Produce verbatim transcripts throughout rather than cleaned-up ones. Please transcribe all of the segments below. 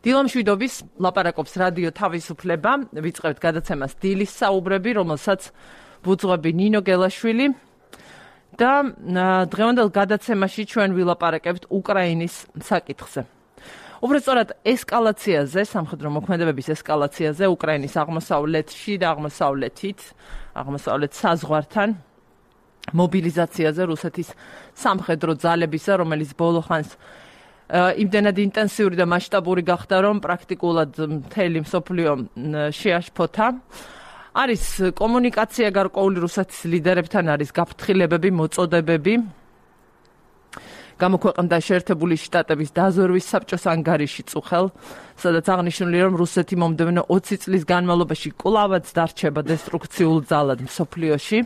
დილამშვიდობის ლაპარაკობს რადიო თავისუფლება, ვიწყებთ გადაცემას დილის საუბრები, რომელსაც ვუძღვები ნინო გელაშვილი და დღევანდელ გადაცემაში ჩვენ ვილაპარაკებთ უკრაინის საკითხზე. უბრალოდ ესკალაციაზე, სამხედრო მოქმედებების ესკალაციაზე უკრაინის აღმოსავლეთში და აღმოსავლეთით, აღმოსავლეთ საზღვართან მობილიზაციაზე რუსეთის სამხედრო ძალებისა, რომელიც ბოლო ხანს იმდენად ინტენსიური და მასშტაბური გახდა, რომ პრაქტიკულად მთელი მსოფლიო შეაშფოთა. არის კომუნიკაცია გარკვეული რუსეთის ლიდერებთან, არის გაფრთხილებები, მოწოდებები. გამოქვეყნდა შეერთებული შტატების დაზვერვის საბჭოს ანგარიში წუხელ, სადაც აღნიშნულია, რომ რუსეთი მომდევნო ოცი წლის განმავლობაში კვლავაც დარჩება დესტრუქციულ ძალად მსოფლიოში.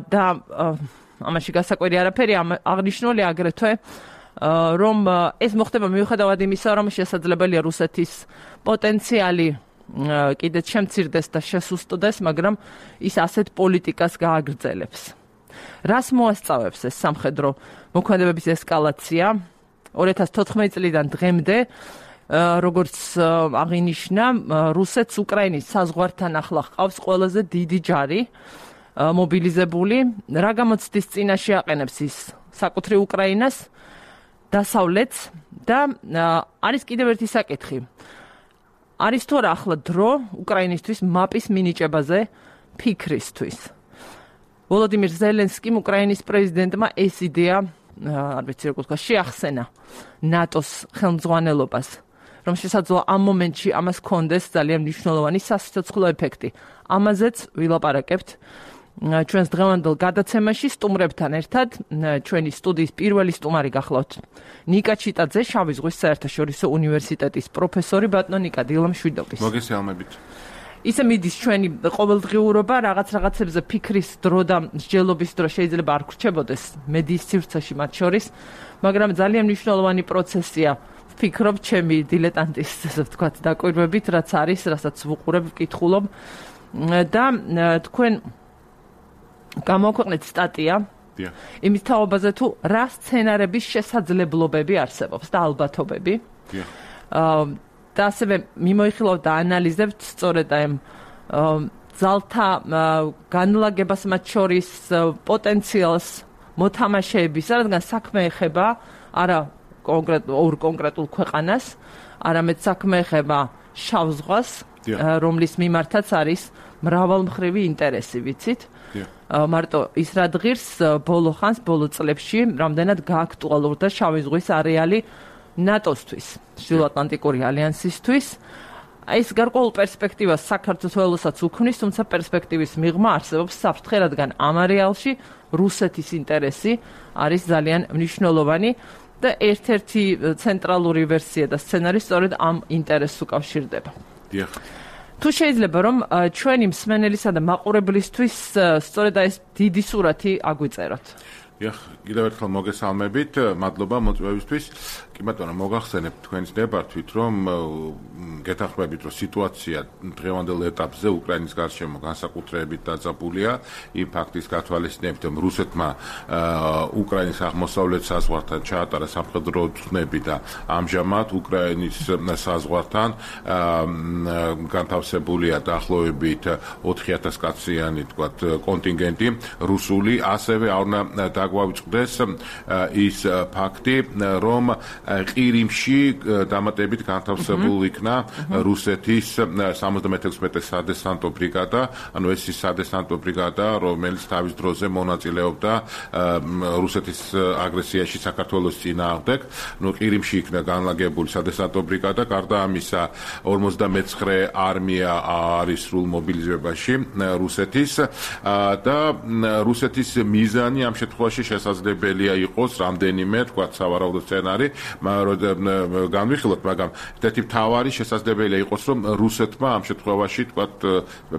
და ამაში გასაკვირი არაფერი, აღნიშნული აგრეთვე რომ ეს მოხდება მიუხედავად იმისა, რომ შესაძლებელია რუსეთის პოტენციალი კიდეც შემცირდეს და შესუსტდეს, მაგრამ ის ასეთ პოლიტიკას გააგრძელებს. რას მოასწავებს ეს სამხედრო მოქმედებების ესკალაცია? ორი ათას თოთხმეტი წლიდან დღემდე, როგორც აღინიშნა, რუსეთს უკრაინის საზღვართან ახლა ჰყავს ყველაზე დიდი ჯარი მობილიზებული. რა გამოცდის წინაშე აყენებს ის საკუთრივ უკრაინას, დასავლეთს და არის კიდევ ერთი საკითხი. არის თუ არა ახლა დრო უკრაინისთვის მაპის მინიჭებაზე ფიქრისთვის? ვოლოდიმირ ზელენსკიმ უკრაინის პრეზიდენტმა ეს იდეა, არ ვიცი როგორ თქვა, შეახსენა ნატოს ხელმძღვანელობას, რომ შესაძლოა ამ მომენტში ამას ჰქონდეს ძალიან მნიშვნელოვანი სასიცოცხლო ეფექტი. ამაზეც ვილაპარაკებთ ჩვენს დღევანდელ გადაცემაში სტუმრებთან ერთად. ჩვენი სტუდიის პირველი სტუმარი გახლავთ ნიკა ჩიტაძე, შავი ზღვის საერთაშორისო უნივერსიტეტის პროფესორი. ბატონო ნიკა, დილამშვიდობის. მოგესალმებით. ისე მიდის ჩვენი ყოველდღიურობა, რაღაც რაღაცებზე ფიქრის დრო და მსჯელობის დრო შეიძლება არ გრჩებოდეს მედიის სივრცეში მათ შორის, მაგრამ ძალიან მნიშვნელოვანი პროცესია. ვფიქრობ ჩემი დილეტანტის, ასე ვთქვათ, დაკვირვებით, რაც არის, რასაც ვუყურებ, ვკითხულობ და თქვენ გამოქვეყნეთ სტატია იმის თაობაზე, თუ რა სცენარების შესაძლებლობები არსებობს და ალბათობები. და ასევე მიმოიხილავთ და ანალიზებთ სწორედ ამ ძალთა განლაგებას, მათ შორის პოტენციალს მოთამაშეების, რადგან საქმე ეხება არა ორ კონკრეტულ ქვეყანას, არამედ საქმე ეხება შავ ზღვას, რომლის მიმართაც არის მრავალმხრივი ინტერესი, ვიცით? მარტო ის რა დღირს ბოლო ხანს, ბოლო წლებში რამდენად გააქტუალურდა შავი ზღვის არეალი ნატოსთვის, ჩრდილოატლანტიკური ალიანსისთვის. ეს გარკვეულ პერსპექტივას საქართველოსაც უქმნის, თუმცა პერსპექტივის მიღმა არსებობს საფრთხე, რადგან ამ არეალში რუსეთის ინტერესი არის ძალიან მნიშვნელოვანი და ერთ-ერთი ცენტრალური ვერსია და სცენარი სწორედ ამ ინტერესს უკავშირდება. დიახ. თუ შეიძლება რომ ჩვენი მსმენელისა და მაყურებლისთვის სწორედ ეს დიდი სურათი აგვიწეროთ. დიახ, კიდევ ერთხელ მოგესალმებით, მადლობა მოწვევისთვის. კი ბატონო, მოგახსენებთ თქვენს ნებართვით, რომ გეთანხმებით, რომ სიტუაცია დღევანდელ ეტაპზე უკრაინის გარშემო განსაკუთრებით დაძაბულია. იმ ფაქტის გათვალისწინებით, რომ რუსეთმა უკრაინის აღმოსავლეთ საზღვართან ჩაატარა სამხედრო ცნები და ამჟამად უკრაინის საზღვართან განთავსებულია დაახლოებით ოთხი ათას კაციანი, თქვათ, კონტინგენტი რუსული, ასევე არ უნდა დაგვავიწყდეს ის ფაქტი, რომ ყირიმში დამატებით განთავსებულ იქნა რუსეთის სამოცდამეექვსმეტე სადესანტო ბრიგადა, ანუ ეს ის სადესანტო ბრიგადა, რომელიც თავის დროზე მონაწილეობდა რუსეთის აგრესიაში საქართველოს წინააღმდეგ. ნუ ყირიმში იქნა განლაგებული სადესანტო ბრიგადა, გარდა ამისა ორმოცდამეცხრე არმია არის სრულ მობილიზებაში რუსეთის და რუსეთის მიზანი ამ შემთხვევაში შესაძლებელია იყოს რამდენიმე, თქვა, სავარაუდო სცენარი, განვიხილოთ, მაგრამ ერთ-ერთი მთავარი შესაძლებელია იყოს, რომ რუსეთმა ამ შემთხვევაში, თქვა,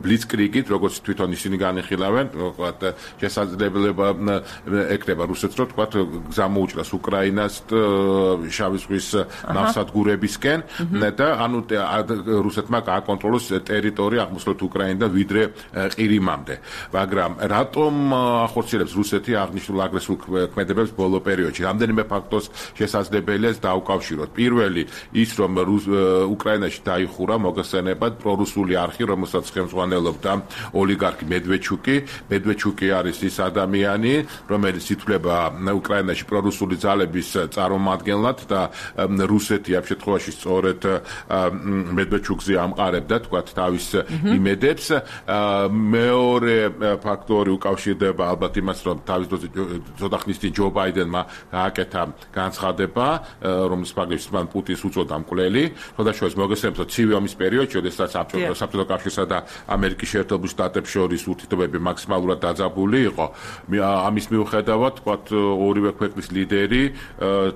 ბლიცკრიგით, როგორც თვითონ ისინი განიხილავენ, თქვა, შესაძლებლობა ეკნება რუსეთს, რომ, თქვა, გზა მოუჭრას უკრაინას შავი ზღვის ნავსადგურებისკენ და ანუ რუსეთმა გააკონტროლოს ტერიტორია აღმოსავლეთ უკრაინიდან ვიდრე ყირიმამდე. მაგრამ რატომ ახორციელებს რუსეთი აღნიშნულ აგრესიულ ქმედებებს ბოლო პერიოდში? რამდენიმე ფაქტორს შესაძლებელია სინამდვილეს დაუკავშიროთ. პირველი ის რომ უკრაინაში დაიხურა მოგხსენებათ პრორუსული არხი, რომელსაც ხელმძღვანელობდა ოლიგარქი მედვედჩუკი. მედვედჩუკი არის ის ადამიანი, რომელიც ითვლება უკრაინაში პრორუსული ძალების წარმომადგენლად და რუსეთი ამ შემთხვევაში სწორედ მედვედჩუკზე ამყარებდა თქვათ თავის იმედებს. მეორე ფაქტორი უკავშირდება ალბათ იმას, რომ თავის დროზე ცოტა ხნის წინ ჯო ბაიდენმა გააკეთა განცხადება, რომლის ფაქტიც მან პუტინს უწოდა მკვლელი. შესაძლოა მოგესწრებათ ცივი ომის პერიოდში, როდესაც საბჭოთა კავშირსა და ამერიკის შეერთებულ შტატებს შორის ურთიერთობები მაქსიმალურად დაძაბული იყო. ამის მიუხედავად, თქვათ ორივე ქვეყნის ლიდერი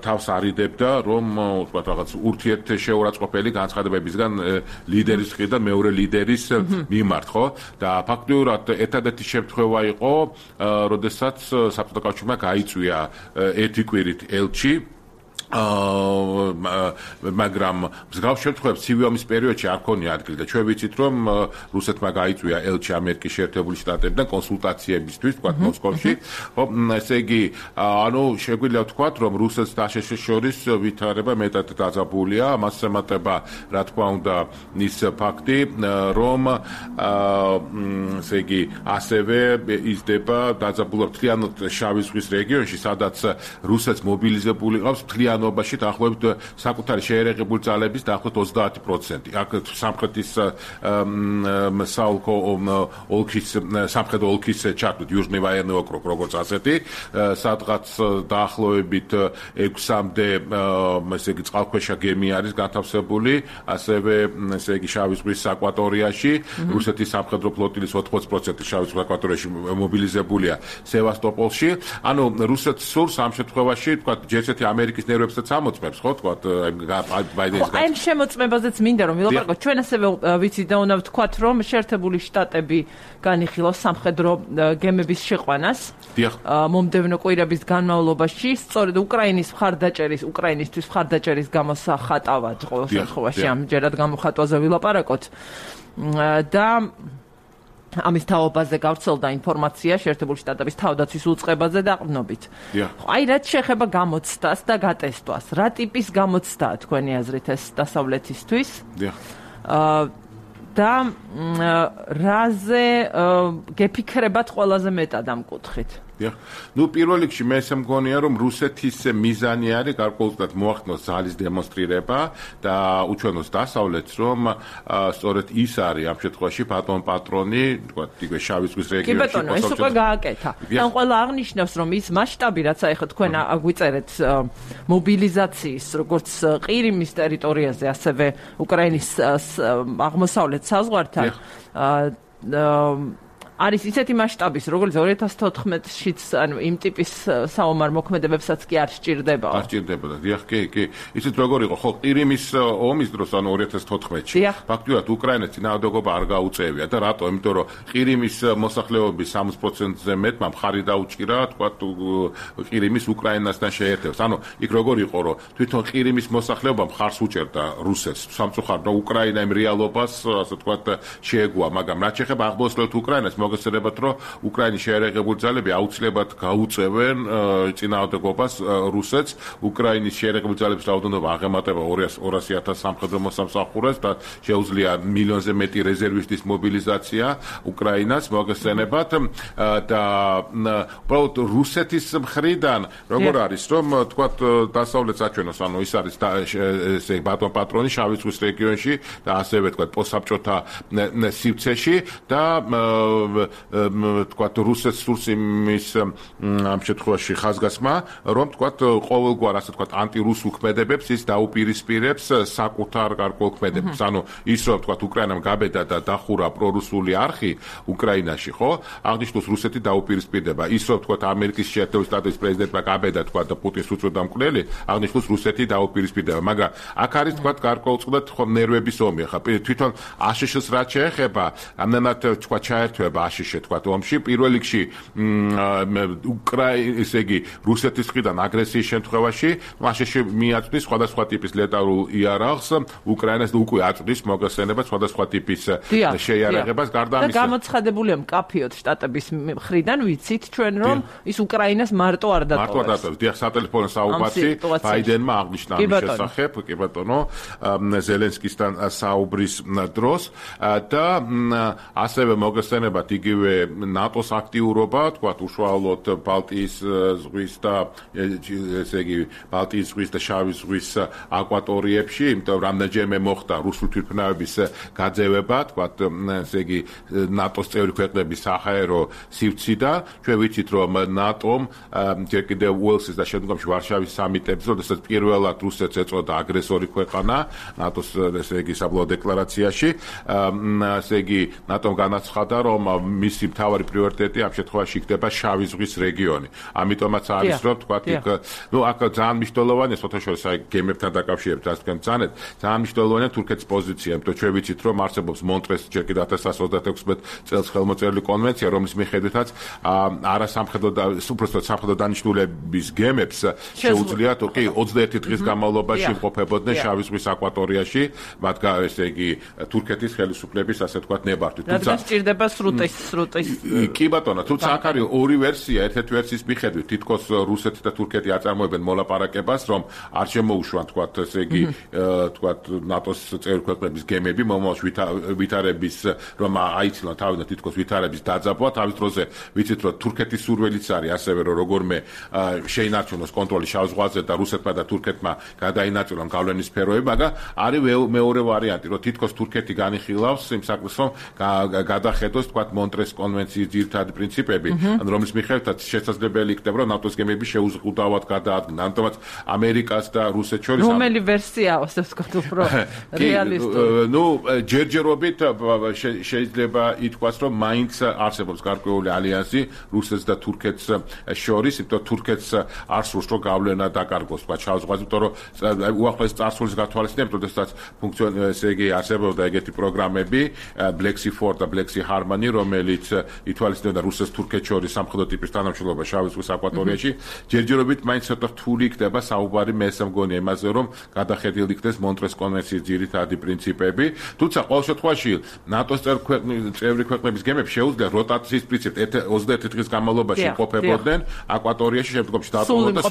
თავს არიდებდა, რომ თქვათ რაღაც ურთიერთშეურაცხყოფელი განცხადებებისგან ლიდერის მხრიდან მეორე ლიდერის მიმართ, ხო? და ფაქტიურად ერთადერთი შემთხვევა იყო, როდესაც საბჭოთა კავშირმა გაიწვია ერთი კვირით ელჩი მაგრამ მსგავს შემთხვევებს ცივი ომის პერიოდში არ ქონია ადგილი და ჩვენ ვიცით რომ რუსეთმა გაიწვია ელჩი ამერიკის შეერთებული შტატებიდან კონსულტაციებისთვის თქვა მოსკოვში ხო ესე იგი ანუ შეგვიძლია ვთქვათ რომ რუსეთს დაშეშის შორის ვითარება მეტად დაძაბულია მას ემატება რა თქმა უნდა ის ფაქტი რომ ესე იგი ასევე იზრდება დაძაბულობა მთლიანად შავი ზღვის რეგიონში სადაც რუსეთს მობილიზებული ყავს მთლიან ობაში დაახლოებით საკუთარი შეერეღებული ძალების დაახლოებით ოცდაათი პროცენტი. აქ სამხრეთის საოლქო ოლქის სამხრეთ ოლქის ჩართვით იუჟნი ვაიერნი ოკრუგ როგორც ასეთი, სადღაც დაახლოებით ექვსამდე ესე იგი წყალქვეშა გემი არის განთავსებული, ასევე ესე იგი შავი ზღვის აკვატორიაში, რუსეთის სამხედრო ფლოტილის ოთხმოცდაოთხ პროცენტი შავი ზღვის აკვატორიაში მობილიზებულია სევასტოპოლში. ანუ რუსეთს სურს ამ შემთხვევაში თქვა ჯერ-ერთი ამერიკის ნერვებს ამოწმებს ხო თქვა ბაიდენის აი შემოწმებაზეც მინდა რომ ვილაპარაკოთ ჩვენ ასევე ვიცით და უნდა ვთქვათ რომ შეერთებული შტატები განიხილავს სამხედრო გემების შეყვანას მომდევნო კვირების განმავლობაში სწორედ უკრაინის მხარდაჭერის უკრაინისთვის მხარდაჭერის გამოსახატავად ყოველ შემთხვევაში ამჯერად გამოხატვაზე ვილაპარაკოთ და ამის თაობაზე გავრცელდა ინფორმაცია შეერთებული შტატების თავდაცვის უწყებაზე დაყრდნობით. აი რაც შეეხება გამოცდას და გატესტვას, რა ტიპის გამოცდაა თქვენი აზრით ეს დასავლეთისთვის? და რაზე გეფიქრებათ ყველაზე მეტად ამ კუთხით? ნუ პირველ რიგში მე ესე მგონია რომ რუსეთის მიზანი არის გარკვეულწილად მოახდინოს ძალის დემონსტრირება და უჩვენოს დასავლეთს რომ სწორედ ის არის ამ შემთხვევაში ბატონ პატრონი თქვა იგივე შავი ზღვის რეგიონში კი ბატონო ეს უკვე გააკეთა და ყველა აღნიშნავს რომ ის მასშტაბი რაც აი ხო თქვენ აგვიწერეთ მობილიზაციის როგორც ყირიმის ტერიტორიაზე ასევე უკრაინის აღმოსავლეთ საზღვართან არის ისეთი მასშტაბის, როგორც ორი ათას თოთხმეტშიც, ანუ იმ ტიპის საომარ მოქმედებებსაც კი არ სჭირდება. არ სჭირდებოდა. დიახ, კი, კი. ისიც როგორ იყო, ხო, ყირიმის ომის დროს, ანუ ორი ათას თოთხმეტში. ფაქტიურად უკრაინას წინააღმდეგობა არ გაუწევია და რატო? იმიტომ რომ ყირიმის მოსახლეობის სამოცდაოთხ პროცენტზე მეტმა მხარი დაუჭირა, თქვა ყირიმის უკრაინასთან შეერთებას. ანუ იქ როგორ იყო, რომ თვითონ ყირიმის მოსახლეობა მხარს უჭერდა რუსეთს. სამწუხაროდ უკრაინა იმ რეალობას, ასე თქვა, შეეგუა, მაგრამ რაც შეეხება აღმოსავლეთ უკრაინას მოგესწრებათ რომ უკრაინის შეერეღებული ძალები აუცილებლად გაუწევენ წინააღმდეგობას რუსეთს უკრაინის შეერეღებული ძალების რაოდენობა აღემატება ორასი ათას სამხედრო მოსამსახურეს და შეუძლია მილიონზე მეტი რეზერვისტის მობილიზაცია უკრაინას მოგესწრებათ და უბრალოდ რუსეთის მხრიდან როგორ არის რომ თქვათ დასავლეთს აჩვენოს ანუ ის არის ესე ბატონ პატრონი შავი ზღვის რეგიონში და ასევე თქვათ პოსტსაბჭოთა სივრცეში და თქვათ რუსეთს სურს იმის ამ შემთხვევაში ხაზგასმა რომ თქვათ ყოველგვარ ასე თქვათ ანტირუს უქმედებებს ის დაუპირისპირებს საკუთარ გარკვეულ ქმედებებს ანუ ის რომ თქვათ უკრაინამ გაბედა და დახურა პრორუსული არხი უკრაინაში ხო აღნიშნოს რუსეთი დაუპირისპირდება ის რომ თქვათ ამერიკის შეერთებული შტატების პრეზიდენტმა გაბედა თქვათ და პუტინს უწოდა მკვლელი აღნიშნოს რუსეთი დაუპირისპირდება მაგრამ აქ არის თქვათ გარკვეულწილად ხო ნერვების ომი ხა თვითონ აშშ-ს რაც შეეხება ამდენად თქვათ ჩაერთვება აშშ თქვათ ომში. პირველ რიგში უკრაინა, ესე იგი, რუსეთის მხრიდან აგრესიის შემთხვევაში აშშ მიაწვდის სხვადასხვა ტიპის ლეტალურ იარაღს, უკრაინას უკვე აწვდის მოგხსენება სხვადასხვა ტიპის შეიარაღებას. გარდა ამისა, და გამოცხადებულია მკაფიოდ შტატების მხრიდან, ვიცით ჩვენ რომ ის უკრაინას მარტო არ დატოვებს. მარტო არ დატოვებს. დიახ, სატელეფონო საუბარი ბაიდენმა აღნიშნა ამის შესახებ, კი ბატონო, ზელენსკისთან საუბრის დროს და ასევე მოგხსენებათ იგივე ნატოს აქტიურობა, თქვათ უშუალოდ ბალტიის ზღვის და ესე იგი ბალტიის ზღვის და შავი ზღვის აკვატორიებში, იმიტომ რომ რამდენჯერმე მოხდა რუსული თვითმფრინავების გაძევება, თქვათ ესე იგი ნატოს წევრი ქვეყნების საჰაერო სივრციდან. ჩვენ ვიცით რომ ნატომ ჯერ კიდევ უელსის და შემდგომში ვარშავის სამიტებზე, როდესაც პირველად რუსეთს ეწოდა აგრესორი ქვეყანა ნატოს ესე იგი საბოლოო დეკლარაციაში, ესე იგი ნატომ განაცხადა რომ მისი მთავარი პრიორიტეტი ამ შემთხვევაში იქნება შავი ზღვის რეგიონი. ამიტომაც არის რომ თქვათ იქ ნუ აქ ძალიან მნიშვნელოვანია სოთაშორის აი გემებთან დაკავშირებით რაც თქვენ ძანეთ, ძალიან მნიშვნელოვანია თურქეთის პოზიცია, იმიტომ ჩვენ ვიცით რომ არსებობს მონტრეს ჯერ კიდევ ათას ცხრაასა ოცდაექვსმეტ წელს ხელმოწერილი კონვენცია, რომლის მიხედვითაც არასამხედრო და უბრალოდ სამხედრო დანიშნულების გემებს შეუძლიათ კი ოცდაერთი დღის განმავლობაში იმყოფებოდნენ შავი ზღვის აკვატორიაში, მათ ესე იგი თურქეთის ხელისუფლების ასე თქვათ ნებართვით. თუმცა სჭირდება სრუტის სრუტის კი ბატონო, თუმცა აქ არის ორი ვერსია, ერთ-ერთი ვერსიის მიხედვით თითქოს რუსეთი და თურქეთი აწარმოებენ მოლაპარაკებას, რომ არ შემოუშვან თქვათ ესე იგი თქვათ ნატოს წევრი ქვეყნების გემები, მომავალში ვითარების რომ აიცილონ თავიდან თითქოს ვითარების დაძაბვა, თავის დროზე ვიცით რომ თურქეთის სურვილიც არის ასევე რომ როგორმე შეინარჩუნოს კონტროლი შავ ზღვაზე და რუსეთმა და თურქეთმა გადაინაწილონ გავლენის სფეროები, მაგრამ არის მეორე ვარიანტი, რომ თითქოს თურქეთი განიხილავს იმ საქმეს, რომ გადახედოს თქვათ მონტრეს კონვენციის ძირითადი პრინციპები, რომლის მიხედვითაც შესაძლებელი იქნება რომ ნატოს გემები შეუზღუდავად გადაადგნენ. ამიტომაც ამერიკას და რუსეთს შორის რომელი ვერსია ასე ვთქვათ უფრო რეალისტური? ნუ ჯერჯერობით შეიძლება ითქვას რომ მაინც არსებობს გარკვეული ალიანსი რუსეთს და თურქეთს შორის, იმიტომ თურქეთს არ სურს რომ გავლენა დაკარგოს თქვათ შავ ზღვაზე, იმიტომ რომ უახლოეს წარსულის გათვალისწინებით, როდესაც ფუნქციონირებდა ესე იგი არსებობდა ეგეთი პროგრამები Black Sea Four და Black Sea Harmony, რომელიც ითვალისწინებდა რუსეთს თურქეთს შორის სამხედრო ტიპის თანამშრომლობა შავი ზღვის აკვატორიაში. ჯერჯერობით მაინც ცოტა რთული იქნება საუბარი, მე ესე მგონია იმაზე, რომ გადახედილი იქნეს მონტრეს კონვენციის ძირითადი პრინციპები. თუმცა ყოველ შემთხვევაში ნატოს წევრი ქვეყნების გემებს შეუძლია როტაციის პრინციპით ოცდაერთი დღის განმავლობაში იმყოფებოდნენ აკვატორიაში, შემდგომში დაატოვონ და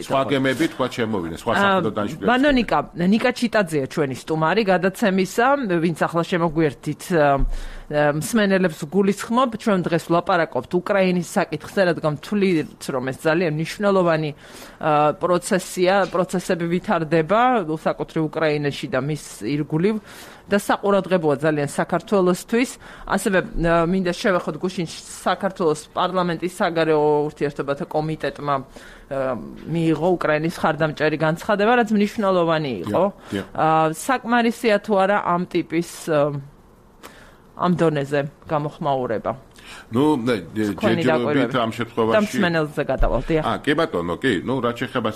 სხვა გემები თქვა შემოვიდნენ, სხვა სამხედრო დანიშნულებით. ბანო ნიკა, ნიკა ჩიტაძეა ჩვენი სტუმარი გადაცემისა, ვინც ახლა შემოგვიერთით მსმენელებს გულისხმობ, ჩვენ დღეს ვლაპარაკობთ უკრაინის საკითხზე, რადგან ვთვლით, რომ ეს ძალიან მნიშვნელოვანი პროცესია, პროცესები ვითარდება საკუთრივ უკრაინაში და მის ირგვლივ და საყურადღებოა ძალიან საქართველოსთვის. ასევე მინდა შევეხოთ გუშინ საქართველოს პარლამენტის საგარეო ურთიერთობათა კომიტეტმა მიიღო უკრაინის ხარდამჭერი განცხადება, რაც მნიშვნელოვანი იყო. საკმარისია თუ არა ამ ტიპის ამ დონეზე გამოხმაურება? ნუ ჯერჯერობით ამ შემთხვევაში დამსმენელზე გადავალთ. აა კი ბატონო, კი, ნუ რაც შეეხება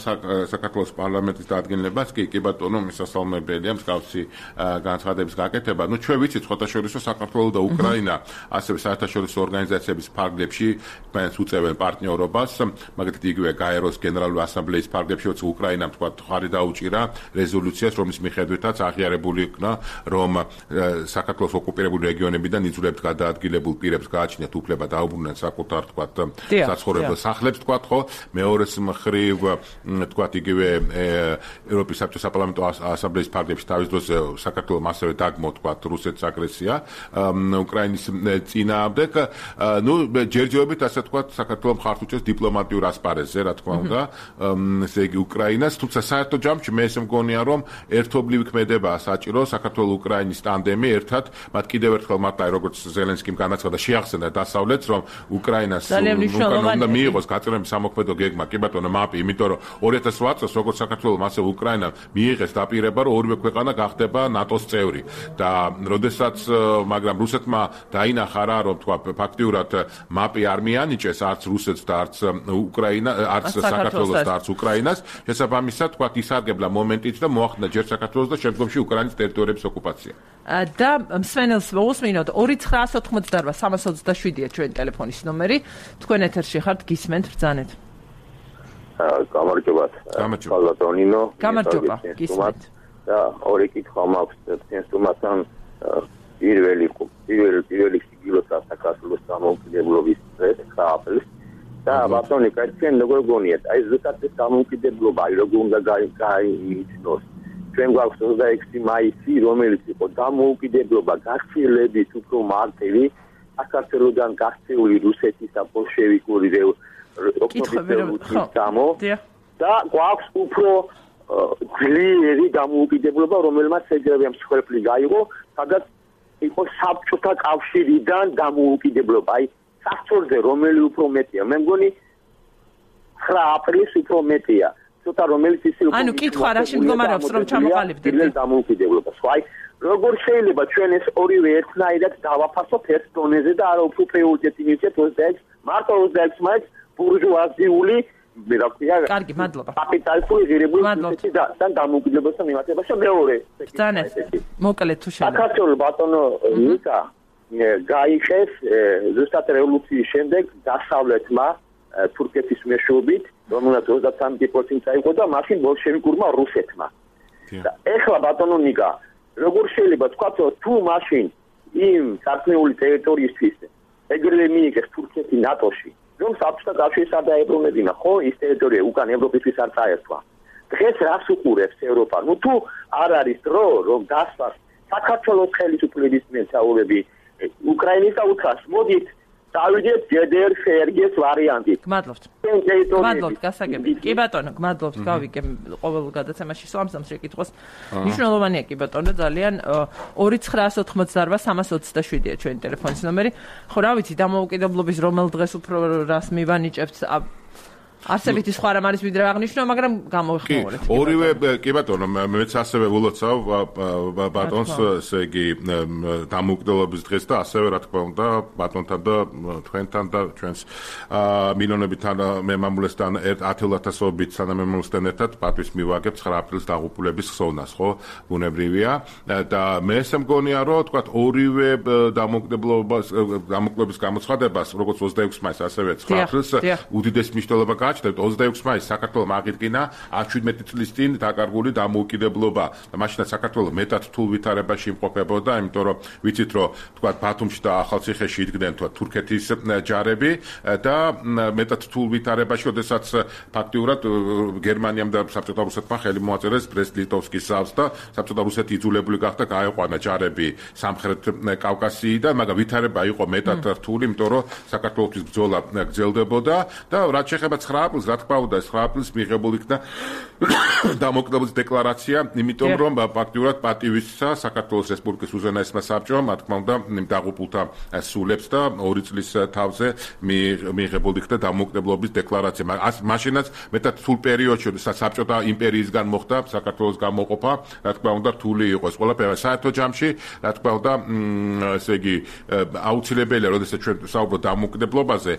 საქართველოს პარლამენტის დადგენილებას, კი, კი ბატონო, მისასალმებელია მსგავსი განცხადების გაკეთება. ნუ ჩვენ ვიცით ხოთაშორისო საქართველო და უკრაინა ასევე საერთაშორისო ორგანიზაციების ფარგლებში თქვენს უწევენ პარტნიორობას, მაგალითად იგივე გაეროს გენერალური ასამბლეის ფარგლებში, როცა უკრაინამ თქვა ხარი დაუჭირა რეზოლუციას, რომლის მიხედვითაც აღიარებული იქნა, რომ საქართველოს ოკუპირებული რეგიონებიდან იძულებთ გადაადგილებულ პირებს გააჩნიათ უფლება დაუბრუნდნენ საკუთარ თქვათ საცხოვრებელ სახლებს თქვათ ხო, მეორეს მხრივ თქვათ იგივე ევროპის საბჭოს საპარლამენტო ასამბლეის ფარგლებში თავის დროზე საქართველოს ასევე დაგმო თქვათ რუსეთის აგრესია უკრაინის წინააღმდეგ. ნუ ჯერჯერობით ასე თქვათ საქართველოს მხარს უჭერს დიპლომატიურ ასპარეზზე, რა თქმა უნდა, ესე იგი უკრაინას, თუმცა საერთო ჯამში მე ესე მგონია რომ ერთობლივი ქმედებაა საჭირო საქართველოს უკრაინის ტანდემი ერთად, მათ კიდევ ერთხელ მარტო როგორც ზელენსკიმ განაცხადა შეახსენა დასავლეთს, რომ უკრაინას უნდა მიიღოს გაწევრიანების სამოქმედო გეგმა, კი ბატონო, მაპი, იმიტომ რომ ორი ათას ოთხ წელს როგორც საქართველოს ასევე უკრაინა მიიღეს დაპირება, რომ ორივე ქვეყანა გახდება ნატოს წევრი და როდესაც მაგრამ რუსეთმა დაინახა რა, რომ თქვა ფაქტიურად მაპი არ მიანიჭეს არც რუსეთს და არც უკრაინა, არც საქართველოს და არც უკრაინას, შესაბამისად თქვა ისარგებლა მომენტით და მოახდინა ჯერ საქართველოს და შემდგომში უკრაინის ტერიტორიების ოკუპაცია. და მსმენელს მოусმინოთ ორი ცხრაას ოთხმოცდარბა სამას ოცდაშვიდია ჩვენი ტელეფონის ნომერი. თქვენ ეთერში ხართ, გისმენთ, ბრძანეთ. გამარჯობათ. გამარჯობა. გამარჯობა, გისმენთ. და ორი კითხვა მაქვს ცენზურასთან პირველი პირველი პირველი სიგილოთა საქართველოს დამოუკიდებლობის დღეს აპრილს და ბატონი კაცენ როგორ გონიათ აი ზუსტად ეს დამოუკიდებლობა როგორ უნდა გაიმეჩნოს ჩვენ გვაქვს ოცდაექვსი მაისი რომელიც იყო დამოუკიდებლობა გახილებით უფრო მარტივი საქართველოსგან გაქცეული რუსეთის და ბოლშევიკური ოკუპაციის გამო და გვაქვს უფრო ძლიერი დამოუკიდებლობა რომელმაც ეძებია მსხვერპლი გაიღო სადაც იყო საბჭოთა კავშირიდან დამოუკიდებლობა აი საფრთხეზე რომელი უფრო მეტია მე მგონი ცხრა აპრილის უფრო მეტია ცოტა რომელიც ისე ანუ კითხვა რაში მდგომარეობს რომ ჩამოყალიბდეთ დამოუკიდებლობას აი როგორ შეიძლება ჩვენ ეს ორივე ერთნაირად დავაფასოთ ერთ დონეზე და არა უფრო პრიორიტეტი მივცეთ ოცდაექვსი მარტო ოცდაექვსი მაინც ბურჟუაზიული მე რა ქვია კარგი მადლობა კაპიტალისტური ღირებულების და და დამოუკიდებლობასთან მიმართებაში მეორე ბრძანეთ მოკლედ თუ შეიძლება საქართველოს ბატონო ნიკა გაიხეს ზუსტად რევოლუციის შემდეგ დასავლეთმა თურქეთის მეშვეობით რომელსაც ოცდათრამეტი პროცენტი აიღო და მაშინ ბოლშევიკურმა რუსეთმა და ეხლა ბატონო ნიკა როგორ შეიძლება თქვა თუ მაშინ იმ სარწმუნოების ტერიტორიისთვის ეგრევე მიიღეს თურქეთი ნატოში რომ საბჭოთა კავშირს არ დაებრუნებინა ხო ის ტერიტორია უკან ევროპისთვის არ წაერთვა დღეს რას უყურებს ევროპა ნუ თუ არ არის დრო რომ დასვას საქართველოს ხელისუფლების მეთაურები უკრაინის და უკრაინას მოდით დავიდეთ ჯედერ სერგეს ვარიანტით გმადლობთ გმადლობთ გასაგებია კი ბატონო გმადლობთ გავიგე ყოველ გადაცემაში სვამსამ შეკითხოს მნიშვნელოვანია კი ბატონო ძალიან ორი ცხრაას ოთხმოცდაარბა სამას ოცდაშვიდია ჩვენი ტელეფონის ნომერი ხო რა ვიცი დამოუკიდებლობის რომელ დღეს უფრო რას მივანიჭებთ არსებითი სხვა რამ არის ვიდრე აღნიშნო, მაგრამ გამოვიხმაურეთ. ორივე კი ბატონო, მეც ასევე ვილოცავ ბატონს, ესე იგი დამოუკიდებლობის დღეს და ასევე რა თქმა უნდა ბატონთან და თქვენთან და ჩვენს მილიონებთან მემამულესთან ათეულათასობით სანამემამულესთან ერთად პატვის მივაგებ ცხრა აპრილის დაღუპულების ხსოვნას, ხო? ბუნებრივია და მე ესე მგონია, რომ თქვა ორივე დამოუკიდებლობის დამოუკიდებლობის გამოცხადებას, როგორც ოცდაექვსი მაისს, ასევე ცხრა აპრილს უდიდეს მნიშვნელობა ოცდაექვსი მაისს საქართველოს აღიდგინა ათს-შვიდმეტი წლის წინ დაკარგული დამოუკიდებლობა და მაშინაც საქართველოს მეტად რთულ ვითარებაში იმყოფებოდა, იმიტომ რომ ვიცით რომ თქვა ბათუმში და ახალციხეში იდგნენ თქვა თურქეთის ჯარები და მეტად რთულ ვითარებაში, ოდესაც ფაქტიურად გერმანიამ და საბჭოთა რუსეთმა ხელი მოაწერეს ბრესტ-ლიტოვსკის ზავს და საბჭოთა რუსეთი იძულებული გახდა გაეყვანა ჯარები სამხრეთ კავკასიიდან, მაგრამ ვითარება იყო მეტად რთული, იმიტომ რომ საქართველოს ბრძოლა გრძელდებოდა და რაც შეეხება ცხრა აპრილს, რა თქმა უნდა, ცხრა აპრილს მიღებული იქნა დამოუკიდებლობის დეკლარაცია, იმიტომ რომ ფაქტიურად პატივისცა საქართველოს რესპუბლიკის უზენაესმა საბჭომ, რა თქმა უნდა, დაღუპულთა სულებს და ორი წლის თავზე მიღებული იქნა დამოუკიდებლობის დეკლარაცია. მაშინაც მეტად რთულ პერიოდში, როდესაც საბჭოთა იმპერიისგან მოხდა საქართველოს გამოყოფა, რა თქმა უნდა, რთული იყო ეს ყველაფერი. საერთო ჯამში, რა თქმა უნდა, ესე იგი, აუცილებელია, როდესაც ჩვენ საუბრობთ დამოუკიდებლობაზე,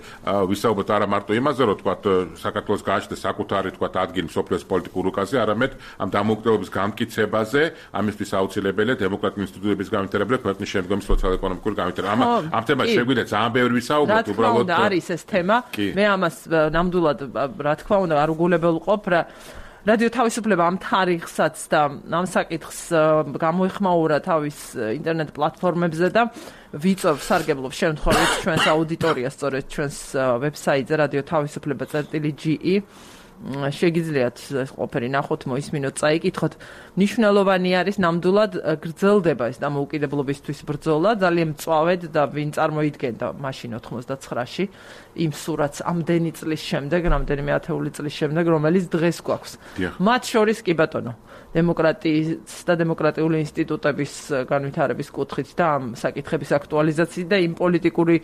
ვისაუბროთ არა მარტო იმაზე, რომ თქვა საქართველოს გააჩნდეს საკუთარი თქვა ადგილი მსოფლიოს პოლიტიკურ რუკაზე, არამედ ამ დამოუკიდებლობის გამტკიცებაზე, ამისთვის აუცილებელია დემოკრატიული ინსტიტუტების განვითარება, ქვეყნის შემდგომი სოციალ-ეკონომიკური განვითარება. ამ თემაში შეგვიძლია ძალიან ბევრი ვისაუბროთ, უბრალოდ არის ეს თემა. მე ამას ნამდვილად რა თქმა უნდა არ უგულებელყოფ რა რადიო თავისუფლება ამ თარიღსაც და ამ საკითხს გამოეხმაურა თავის ინტერნეტ პლატფორმებზე და ვიწევ სარგებლობს შემთხვევით ჩვენს აუდიტორიას სწორედ ჩვენს ვებსაიტზე radio თავისუფლება წერტილი ჯი ი შეგიძლიათ ეს ყოფილი ნახოთ, მოისმინოთ, წაიკითხოთ. მნიშვნელოვანი არის ნამდვილად გრძელდება ეს დამოუკიდებლობისთვის ბრძოლა, ძალიან მწვავედ და ვინ წარმოიდგენდა მაშინ ოთხმოცდაცხრაში იმ სურათს ამდენი წლის შემდეგ, რამდენიმე ათეული წლის შემდეგ, რომელიც დღეს გვაქვს. მათ შორის კი ბატონო, დემოკრატიის და დემოკრატიული ინსტიტუტების განვითარების კუთხით და ამ საკითხების აქტუალიზაციით და იმ პოლიტიკური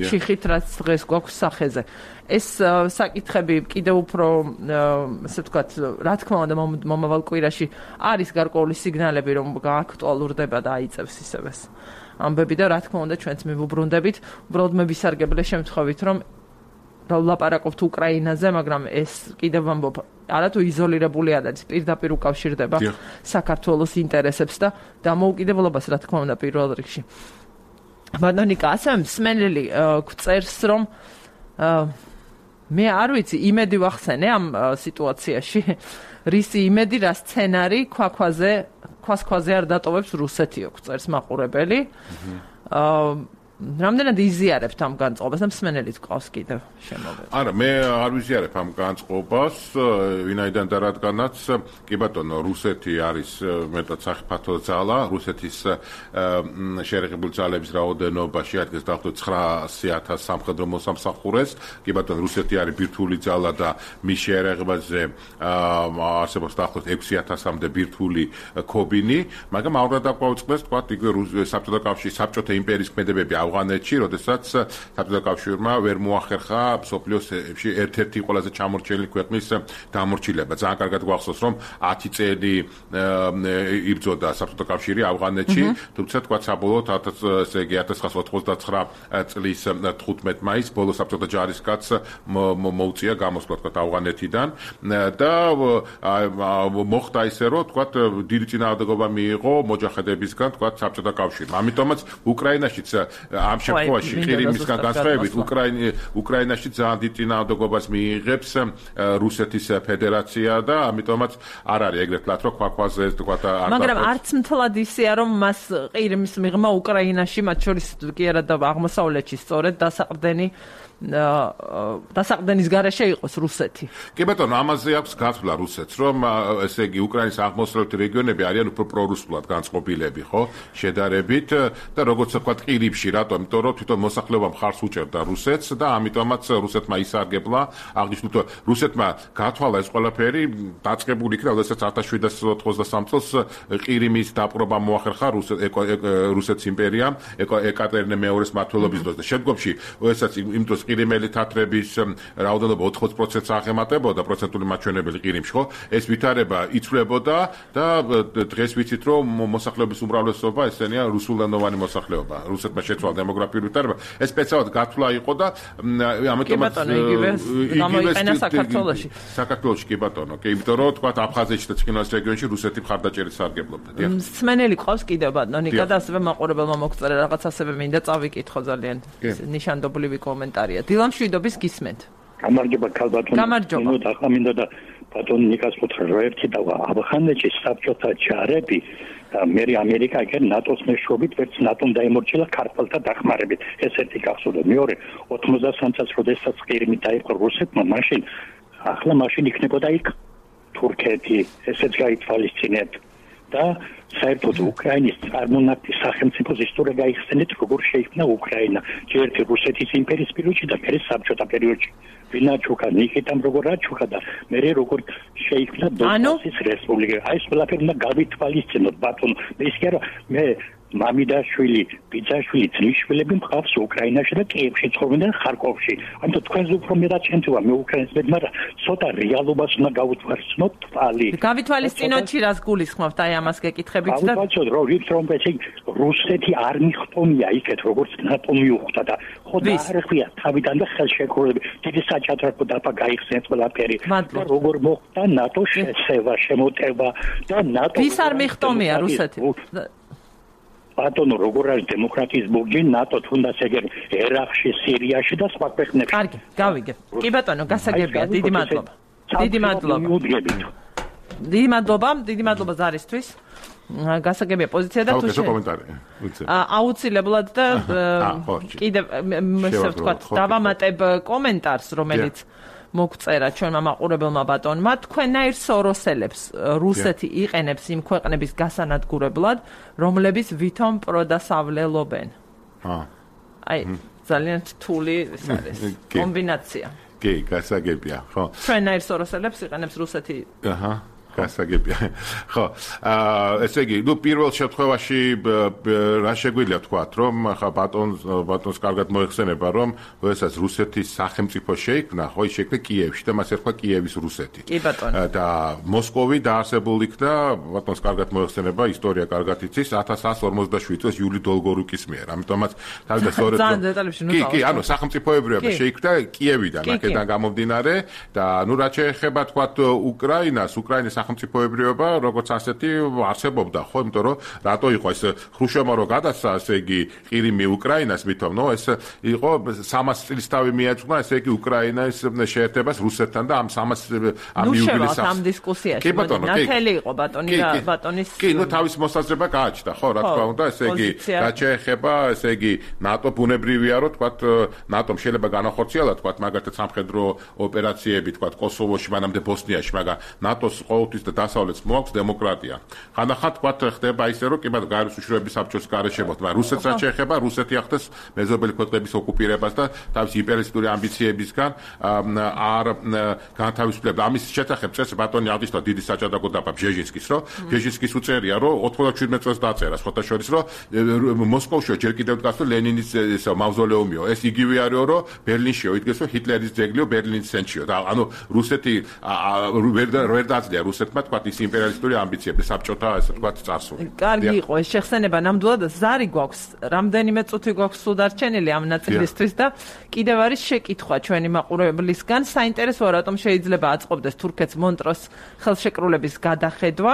ჩიხით, რაც დღეს გვაქვს სახეზე. ეს საკითხები კიდევ უფრო, ასე ვთქვათ, რა თქმა უნდა, მომავალ კვირაში არის გარკვეული სიგნალები, რომ გააქტუალურდება და აიწევს ისევ ეს ამბები და რა თქმა უნდა, ჩვენც მივუბრუნდებით, უბრალოდ მე ვისარგებლე შემთხვევით, რომ ვლაპარაკობთ უკრაინაზე, მაგრამ ეს კიდევ ამბობ, არათუ იზოლირებული არ არის, პირდაპირ უკავშირდება საქართველოს ინტერესებს და დამოუკიდებლობას, რა თქმა უნდა, პირველ რიგში. ბატონიკა, ასევე მსმენელი გვწერს, რომ მე არ ვიცი, იმედი ვახსენე ამ სიტუაციაში, რისი იმედი, რა სცენარი ქვაქვაზე, ქვას-ქვაზე არ დატოვებს რუსეთიო, გვწერს მაყურებელი. რამდენად იზიარებთ ამ განწყობას და მსმენელიც ყავს კიდევ შემოვედი. არა, მე არ ვიზიარებ ამ განწყობას, ვინაიდან და რადგანაც კი ბატონო, რუსეთი არის მეტად საფრთხე ძალა, რუსეთის შეერაღებული ძალების რაოდენობა შეადგენს დაახლოებით ცხრაასი ათას სამხედრო მოსამსახურეს. კი ბატონო, რუსეთი არის ბირთვული ძალა და მის შეერაღებაზე არსებობს დაახლოებით ექვსი ათასამდე ბირთვული ქობინი, მაგრამ აურად დაგვაუწყდეს, თქვა, იგივე საბჭოთა კავშირის, საბჭოთა იმპერიის ქმედებები ავღანეთში, როდესაც საბჭოთა კავშირმა ვერ მოახერხა მსოფლიოში ერთ-ერთი ყველაზე ჩამორჩენილი ქვეყნის დამორჩილება. ძალიან კარგად გვახსოვს, რომ ათი წელი იბრძოდა საბჭოთა კავშირი ავღანეთში, თუმცა თქვა საბოლოოდ ესე იგი ათას ცხრაასა ოცდაცხრა წლის თხუთმეტ მაისს ბოლო საბჭოთა ჯარისკაცს მოუწია გამოსვლა თქვა ავღანეთიდან და მოხდა ისე, რომ თქვა დიდი წინააღმდეგობა მიიღო მოჯაჰედებისგან თქვა საბჭოთა კავშირმა. ამიტომაც უკრაინაშიც ამ შემთხვევაში ყირიმისგან განსხვავებით უკრაინაში ძალიან დიდ წინააღმდეგობას მიიღებს რუსეთის ფედერაცია და ამიტომაც არ არის ეგრეთ ლათ რომ ქვაქვაზე თქვა არ მაგრამ არც მთლად ისეა რომ მას ყირიმის მიღმა უკრაინაში მათ შორის კი არა და აღმოსავლეთში სწორედ დასაყრდენი დასაყრდენის გარეშე იყოს რუსეთი. კი ბატონო, ამაზე აქვს გაცვლა რუსეთს, რომ ესე იგი უკრაინის აღმოსავლეთი რეგიონები არიან უფრო პრორუსულად განწყობილები, ხო? შედარებით და როგორც ვთქვათ, ყირიმში, რატომ? იმიტომ რომ თვითონ მოსახლეობა მხარს უჭერდა რუსეთს და ამიტომაც რუსეთმა ისარგებლა, აღნიშნულ თუ რუსეთმა გათვალა ეს ყველაფერი, დაწყებული იქნა, როდესაც ათას შვიდსათ ოცდასამ წელს ყირიმის დაპყრობა მოახერხა რუსეთის იმპერიამ ეკატერინე მეორის მმართველობის დროს და შემდგომში, როდესაც იმ დროს ყირიმელი თათრების რაოდენობა ოთხმოცდ პროცენტს აღემატებოდა პროცენტული მაჩვენებელი ყირიმში, ხო? ეს ვითარება იცვლებოდა და დღეს ვიცით, რომ მოსახლეობის უმრავლესობა ესენია რუსულენოვანი მოსახლეობა. რუსეთმა შეცვალა დემოგრაფიული ვითარება. ეს სპეციალურად გათვლა იყო და ამიტომაც გამოიყენა საქართველოში. საქართველოში კი ბატონო, კი იმიტომ რომ თქვა აფხაზეთში და ცხინვალის რეგიონში რუსეთი მხარდაჭერით სარგებლობდა. მსმენელი ყავს კიდევ ბატონიკა და ასევე მაყურებელმა მოგწერა რაღაც ასევე მინდა წავიკითხო ძალიან ნიშანდობლივი კომენტარია. დილა მშვიდობის გისმენთ. გამარჯობა ქალბატონო. გამარჯობა. ახლა მინდა და ბატონ ნიკას უთხრა რომ ერთი და ავღანეთში საბჭოთა ჯარები და მე ამერიკა ეგ ნატოს მეშვეობით ვერც ნატომ დაემორჩილა ქართველთა დახმარებით. ეს ერთი გახსოვდა. მეორე ოთხმოცდასამ წელს როდესაც ყირიმი დაიპყრო რუსეთმა, მაშინ ახლა მაშინ იქნებოდა იქ თურქეთი, ესეც გაითვალისწინეთ და საერთოდ უკრაინის წარმონაქმნის სახელმწიფოს ისტორია გაიხსენეთ, როგორ შეიქმნა უკრაინა, ჯერ ერთი რუსეთის იმპერიის პერიოდში და მერე საბჭოთა პერიოდში. ვინაჩუკა, ნიკიტამ როგორ აჩუქა და მერე როგორ შეიქმნა დონბასის რესპუბლიკა. აი ეს ყველაფერი უნდა გავითვალისწინოთ, ბატონო. მე ის კი არა, მე მამიდაშვილი, ბიძაშვილი, ძმისშვილები მყავს უკრაინაში და კიევში ცხოვრობენ და ხარკოვში. ამიტომ თქვენს უფრო მეტად შემთხვევა მე უკრაინას მე, მაგრამ ცოტა რეალობას უნდა გავუთვალისწინოთ თვალი. გავითვალისწინოთ რას გულისხმობთ აი ამას გეკითხებით და გავუთვალისწინოთ რომ ის რომ ესე რუსეთი არ მიხტომია იქეთ როგორც ნატო მიუხვდა და ხო და არ ხვია თავიდან და ხელშეკრულები დიდი საჭადრაკო დაფა გაიხსენეთ ყველაფერი და როგორ მოხდა ნატო შეცევა, შემოტევა და ნატო ვის არ მიხტომია რუსეთი? ბატონო, როგორ არის დემოკრატიის ბურჯი ნატო თუნდაც ეგერ ერაყში, სირიაში და სხვა ქვეყნებში. კარგი, გავიგე. კი ბატონო, გასაგებია, დიდი მადლობა. დიდი მადლობა. დიდი მადლობა, დიდი მადლობა ზარისთვის. გასაგებია პოზიცია და თუ აუცილებლად და კიდევ ესე ვთქვათ, დავამატებ კომენტარს, რომელიც მოგწერა ჩვენმა მაყურებელმა ბატონმა, თქვენნაირ სოროსელებს რუსეთი იყენებს იმ ქვეყნების გასანადგურებლად, რომლებიც ვითომ პროდასავლელობენ. აა. აი, ძალიან რთული ეს არის კომბინაცია. კი, გასაგებია, ხო. ჩვენნაირ სოროსელებს იყენებს რუსეთი. აჰა. გასაგებია. ხო, აა ესე იგი, ნუ პირველ შემთხვევაში რა შეგვიძლია თქვათ, რომ ხა ბატონს ბატონს კარგად მოეხსენება, რომ როდესაც რუსეთის სახელმწიფო შეიქმნა, ხო, ის შეიქმნა კიევში და მას ერქვა კიევის რუსეთი. კი ბატონო. და მოსკოვი დაარსებული იქნა, ბატონს კარგად მოეხსენება, ისტორია კარგად იცის, ათას ათას ორმოცდაშვიდ წელს იული დოლგორუკის მიერ. ამიტომაც თავიდან სწორედ ძალიან დეტალებში ნუ კი, კი, ანუ სახელმწიფოებრიობა შეიქმნა კიევიდან, აქედან გამომდინარე და ნუ რაც შეეხება თქვათ უკრაინას, უკრაინის სახელმწიფოებრიობა როგორც ასეთი არსებობდა, ხო, იმიტომ რომ რატო იყო ეს ხრუშჩოვმა რო გადასცა, ესე იგი, ყირიმი უკრაინას მithom, ნო, ეს იყო სამას წლის თავი მიაწყდა, ესე იგი, უკრაინის შეერთებას რუსეთთან და ამ სამას ამ იუბილეს ამ დისკუსიაში ნათელი იყო ბატონი და ბატონის კი, ნუ თავის მოსაზრება გააჩნდა, ხო, რა თქმა უნდა, ესე იგი, რაც შეეხება, ესე იგი, ნატო ბუნებრივია, რომ თქვათ, ნატომ შეიძლება განახორციელა, თქვათ, მაგალითად სამხედრო ოპერაციები, თქვათ, კოსოვოში, მანამდე ბოსნიაში, მაგრამ ნატოს ყოველთვის და დასავლეთს მოაქვს დემოკრატია. ხანდახან თქვათ ხდება ისე, რომ კი ბატონო, გაეროს უშუალოების საბჭოს გარეშემოთ, მაგრამ რუსეთს რაც შეეხება, რუსეთი ახდენს მეზობელი ქვეყნების ოკუპირებას და თავის იმპერიალისტური ამბიციებისგან არ განთავისუფლება. ამის შესახებ წეს ბატონი აღნიშნა დიდი საჭადრაკო დაბა ბჟეჟინსკის, რომ ბჟეჟინსკის უწერია, რომ ოცდაშვიდმეტ წელს დაწერა, სხვათა შორის, რომ მოსკოვში ჯერ კიდევ დგას, რომ ლენინის ესა მავზოლეუმიო. ეს იგივე არისო, რომ ბერლინშიო იდგეს, რომ ჰიტლერის ძეგლიო ბერლინის ცენტრშიო. და ანუ რუსეთი ვერ ვერ დაძლია რუსეთმა თქვათ ის იმპერიალისტური ამბიციები საბჭოთა ესე თქვათ წარსული. კარგი იყო ეს შეხსენება, ნამდვილად ზარი გვაქვს, რამდენიმე წუთი გვაქვს სულ დარჩენილი ამ ნაწილისთვის და კიდევ არის შეკითხვა ჩვენი მაყურებლისგან, საინტერესოა რატომ შეიძლება აწყობდეს თურქეთს მონტროს ხელშეკრულების გადახედვა.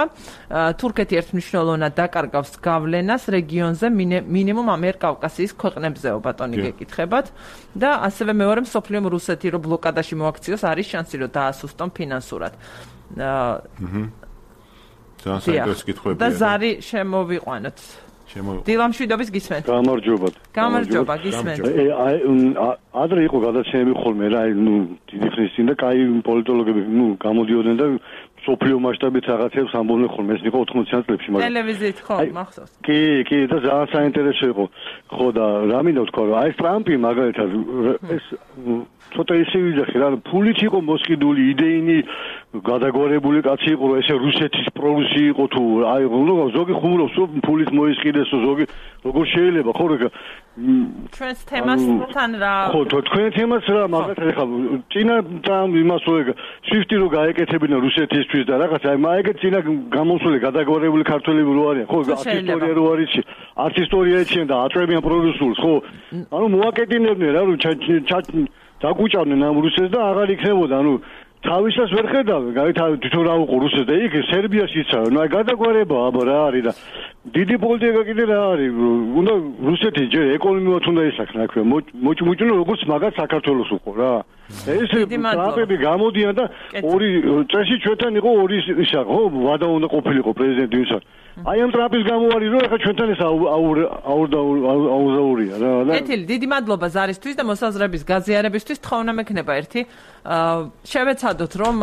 თურქეთი ერთმნიშვნელოვნად დაკარგავს გავლენას რეგიონზე მინიმუმ ამიერკავკასიის ქვეყნებზეო, ბატონი გეკითხებათ და ასევე მეორე მსოფლიომ რუსეთი რო ბლოკადაში მოაქციოს, არის შანსი რომ დაასუსტონ ფინანსურად. აა ძალიან საინტერესო კითხვებია. და ზარი შემოვიყვანოთ. შემოვიყვანოთ. დილამშვიდობის გისმენთ. გამარჯობა. გამარჯობა, გისმენთ. აი ადრე იყო გადაცემები ხოლმე რა, ნუ დიდი ხნის წინ და კაი პოლიტოლოგები ნუ გამოდიოდნენ და სოფლიო მასშტაბით რაღაცებს ამბობდნენ ხოლმე, ეს იყო ოთხმოციან წლებში, მაგრამ ტელევიზიით ხო, მახსოვს. კი, კი, და ძალიან საინტერესო იყო. ხო და რა მინდა ვთქვა, რომ აი ტრამპი მაგალითად ეს ცოტა ისე ვიძახი რა, ფულით იყო მოსყიდული, იდეინი გადაგვარებული კაცი იყო, რომ ესე რუსეთის პრორუსი იყო თუ აი ზოგი ხუმრობს, რომ ფულით მოისყიდეს, ზოგი როგორ შეიძლება, ხო რა ჩვენს თემასთან რა ხო თქვენ თემას რა მაგალითად ეხლა წინა ტრამპ იმას ვეგ სვიფტი რო გაეკეთებინა რუსეთისთვის და რაღაც აი მაიგე წინა გამოსული გადაგვარებული ქართველები რო არიან ხო ისტორია რო არის არც ისტორია ეჩიან და აწვევიან პრორუსულს ხო ანუ მოაკეტინებდნენ რა რომ დაგუჭავდნენ ამ რუსეთს და აღარ იქნებოდა ანუ თავისას ვერ ხედავ, გაითავი თვითონ რა უყო რუსეთს და იქ სერბიაში იცავ. ნუ აი გადაგვარება აბა რა არის და დიდი პოლიტიკა კიდე რა არის. უნდა რუსეთი ჯერ ეკონომიურად უნდა ისახნა აქვე. მოჭმუჭნო როგორც მაგათ საქართველოს უყო რა. ეს ტრამპები გამოდიან და ორი წესი ჩვენთან იყო ორი ისა ხო ვადა უნდა ყოფილიყო პრეზიდენტი ვისა. აი ამ ტრამპის გამო არის რომ ახლა ჩვენთან ეს აურზაურია რა. ეთილი დიდი მადლობა ზარისთვის და მოსაზრების გაზიარებისთვის. თხოვნა მექნება ერთი შევეცადოთ რომ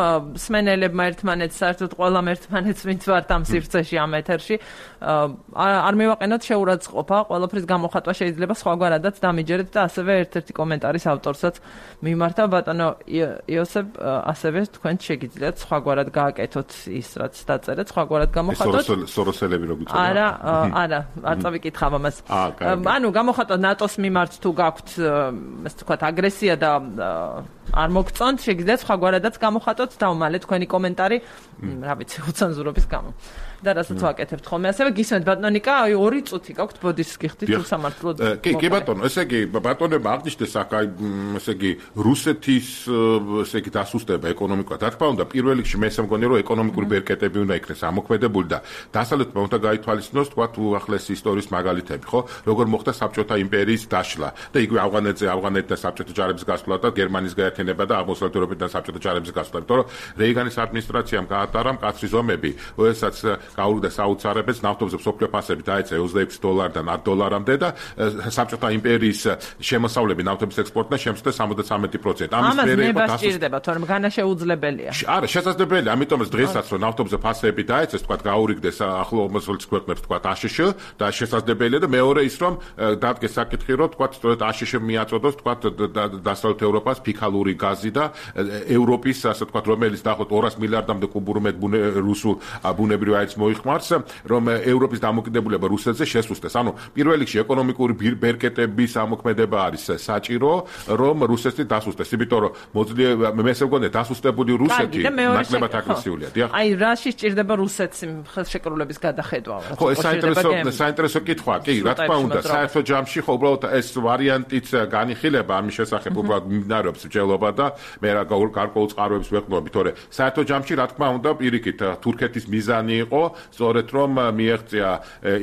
სმენელებმა ერთმანეთს საერთოდ ყველამ ერთმანეთს ვინც ვართ ამ სივრცეში ამ ეთერში არ მივაყენოთ შეურაცხყოფა, ყველაფრის გამოხატვა შეიძლება სხვაგვარადაც დამიჯერეთ და ასევე ერთ-ერთი კომენტარის ავტორსაც მიმართა ბატონო იოსებ, ასევე თქვენ შეგიძლიათ სხვაგვარად გააკეთოთ ის რაც დაწერეთ, სხვაგვარად გამოხატოთ. სოროსელები რო გიწევთ. არა, არა, არ წავიკითხავ ამას. ანუ გამოხატოთ ნატოს მიმართ თუ გაქვთ ესე ვთქვათ აგრესია და არ მოგწონთ, შეგიძლიათ სხვაგვარადაც გამოხატოთ და უმალე თქვენი კომენტარი, რა ვიცი, უცენზურობის გამო. და რასაც ვაკეთებთ ხოლმე. ასევე გისმენთ ბატონიკა, აი ორი წუთი გაქვთ, ბოდიშს გიხდით თუ სამართლოდ. კი, კი ბატონო, ესე იგი ბატონებმა აღნიშნეს აქ აი ესე იგი რუსეთის ესე იგი დასუსტება ეკონომიკურად. რა თქმა უნდა, პირველ რიგში მე სამგონი რომ ეკონომიკური ბერკეტები უნდა იქნეს ამოქმედებული და დასავლეთმა უნდა გაითვალისწინოს თქვა უახლესი ისტორიის მაგალითები, ხო? როგორ მოხდა საბჭოთა იმპერიის დაშლა და იგივე ავღანეთზე ავღანეთთან საბჭოთა ჯარების გასვლა და გერმანიის გაერთიანება და აღმოსავლეთ ევროპიდან საბჭოთა ჯარების გასვლა. იმიტომ რომ რეიგანის ადმინისტრაციამ გაატარა მკაცრი ზომები, როდესაც გაურიგდა საოცარებებს, ნავთობზე მსოფლიო ფასები დაეცა ოცდაექვსი დოლარიდან ათ დოლარამდე და საბჭოთა იმპერიის შემოსავლები ნავთობის ექსპორტიდან შემცირდა სამოცდამეტი პროცენტი. ამის მერე იყო დასუსტება, თორემ განა შეუძლებელია. არა, შესაძლებელია, ამიტომაც დღესაც რომ ნავთობზე ფასები დაეცეს, თქვა გაურიგდეს ახლო აღმოსავლეთის ქვეყნებს, თქვა აშშ და შესაძლებელია და მეორე ის რომ დადგეს საკითხი, რომ თქვა სწორედ აშშ მიაწოდოს, თქვა დასავლეთ ევროპას ფიქალური გაზი და ევროპის, ასე თქვა, რომელიც დაახლოებით ორას მილიარდამდე კუბურ მეტ რუსულ ბუნებრივ აირს მოიხმარს, რომ ევროპის დამოკიდებულება რუსეთზე შესუსტეს. ანუ პირველ რიგში ეკონომიკური ბერკეტების ამოქმედება არის საჭირო, რომ რუსეთი დასუსტეს. იმიტომ რომ მოძლიერება მე ესე მგონია დასუსტებული რუსეთი ნაკლებად აგრესიულია. დიახ. აი რაში სჭირდება რუსეთს ხელშეკრულების გადახედვა? ხო, ეს საინტერესო საინტერესო კითხვაა. კი, რა თქმა უნდა, საერთო ჯამში ხო უბრალოდ ეს ვარიანტიც განიხილება ამის შესახებ უბრალოდ მიმდინარეობს მსჯელობა და მე რა გარკვეულ წყაროებს ვეყნობი, თორე საერთო ჯამში რა თქმა უნდა პირიქით თურქეთის მიზანი იყო სწორედ რომ მიეღწია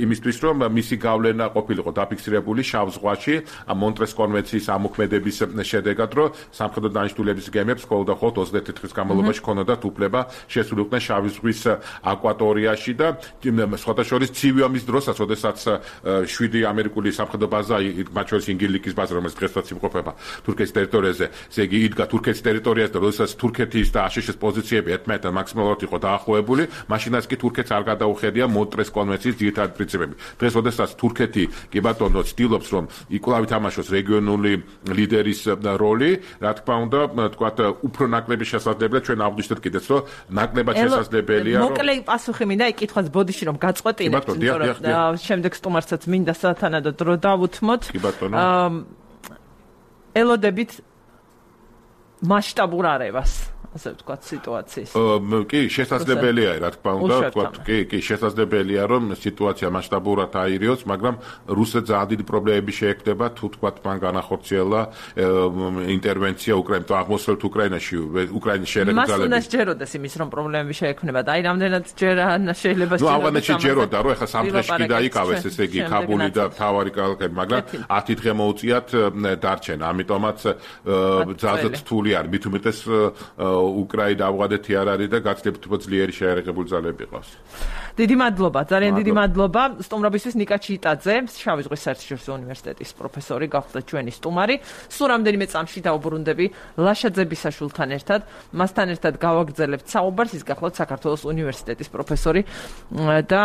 იმისთვის რომ მისი გავლენა ყოფილიყო დაფიქსირებული შავ ზღვაში მონტრეს კონვენციის ამოქმედების შედეგად რომ სამხედრო დანიშნულების გემებს მხოლოდ და მხოლოდ ოცდაერთი დღის განმავლობაში ჰქონდათ უფლება შესულიყვნენ შავი ზღვის აკვატორიაში და სხვათა შორის ცივი ომის დროსაც როდესაც შვიდი ამერიკული სამხედრო ბაზა მათ შორის ინგილიკის ბაზა რომელიც დღესაც იმყოფება თურქეთის ტერიტორიაზე ესე იგი იდგა თურქეთის ტერიტორიაზე და როდესაც თურქეთის და აშშ-ის პოზიციები ერთმანეთთან მაქსიმალურად იყო დაახლოებული მაშინაც კი თურქეთს არ გადაუხედია მონტრეს კონვენციის ძირითადი პრინციპები დღეს როდესაც თურქეთი კი ბატონო ცდილობს რომ იკვლავ ითამაშოს რეგიონული ლიდერის როლი რა თქმა უნდა თქვათ უფრო ნაკლები შესაძლებელია ჩვენ აღვნიშნეთ კიდეც რომ ნაკლებად შესაძლებელია რომ მოკლე პასუხი მინდა აი კითხვას ბოდიში რომ გაწყვეტინებთ რომ შემდეგ სტუმარსაც მინდა სათანადო დრო დავუთმოთ ელოდებით მასშტაბურ არევას ასე ვთქვათ სიტუაციის. კი, შესაძლებელია, რა თქმა უნდა, ვთქვათ, კი, კი, შესაძლებელია, რომ სიტუაცია მასშტაბურად აირიოს, მაგრამ რუსეთს ძალიან დიდი პრობლემები შეექმნება, თუ თქვათ, მან განახორციელა ინტერვენცია უკრაინაში, აღმოსავლეთ უკრაინაში, უკრაინის შერეულ ძალებში. მას უნდა სჯეროდეს იმის, რომ პრობლემები შეექმნება და აი რამდენად ჯერ შეიძლება შეიძლება. ნუ ავღანეთში ჯეროდა, რომ ეხლა სამ დღეში კი დაიკავეს, ესე იგი, ქაბული და მთავარი ქალაქები, მაგრამ ათი დღე მოუწიათ დარჩენა. ამიტომაც ძალზედ რთული არის, მით უმეტეს უკრაინა ავღანეთი არ არის და გაცილებით უფრო ძლიერი შეერაღებული ძალები ყავს. დიდი მადლობა, ძალიან დიდი მადლობა. სტუმრობისთვის ნიკა ჩიტაძე, შავი ზღვის საერთაშორისო უნივერსიტეტის პროფესორი, გახდა ჩვენი სტუმარი. სულ რამდენიმე წამში დაუბრუნდები ლაშაძებისაშვილთან ერთად. მასთან ერთად გავაგრძელებთ საუბარს, ის გახლავთ საქართველოს უნივერსიტეტის პროფესორი და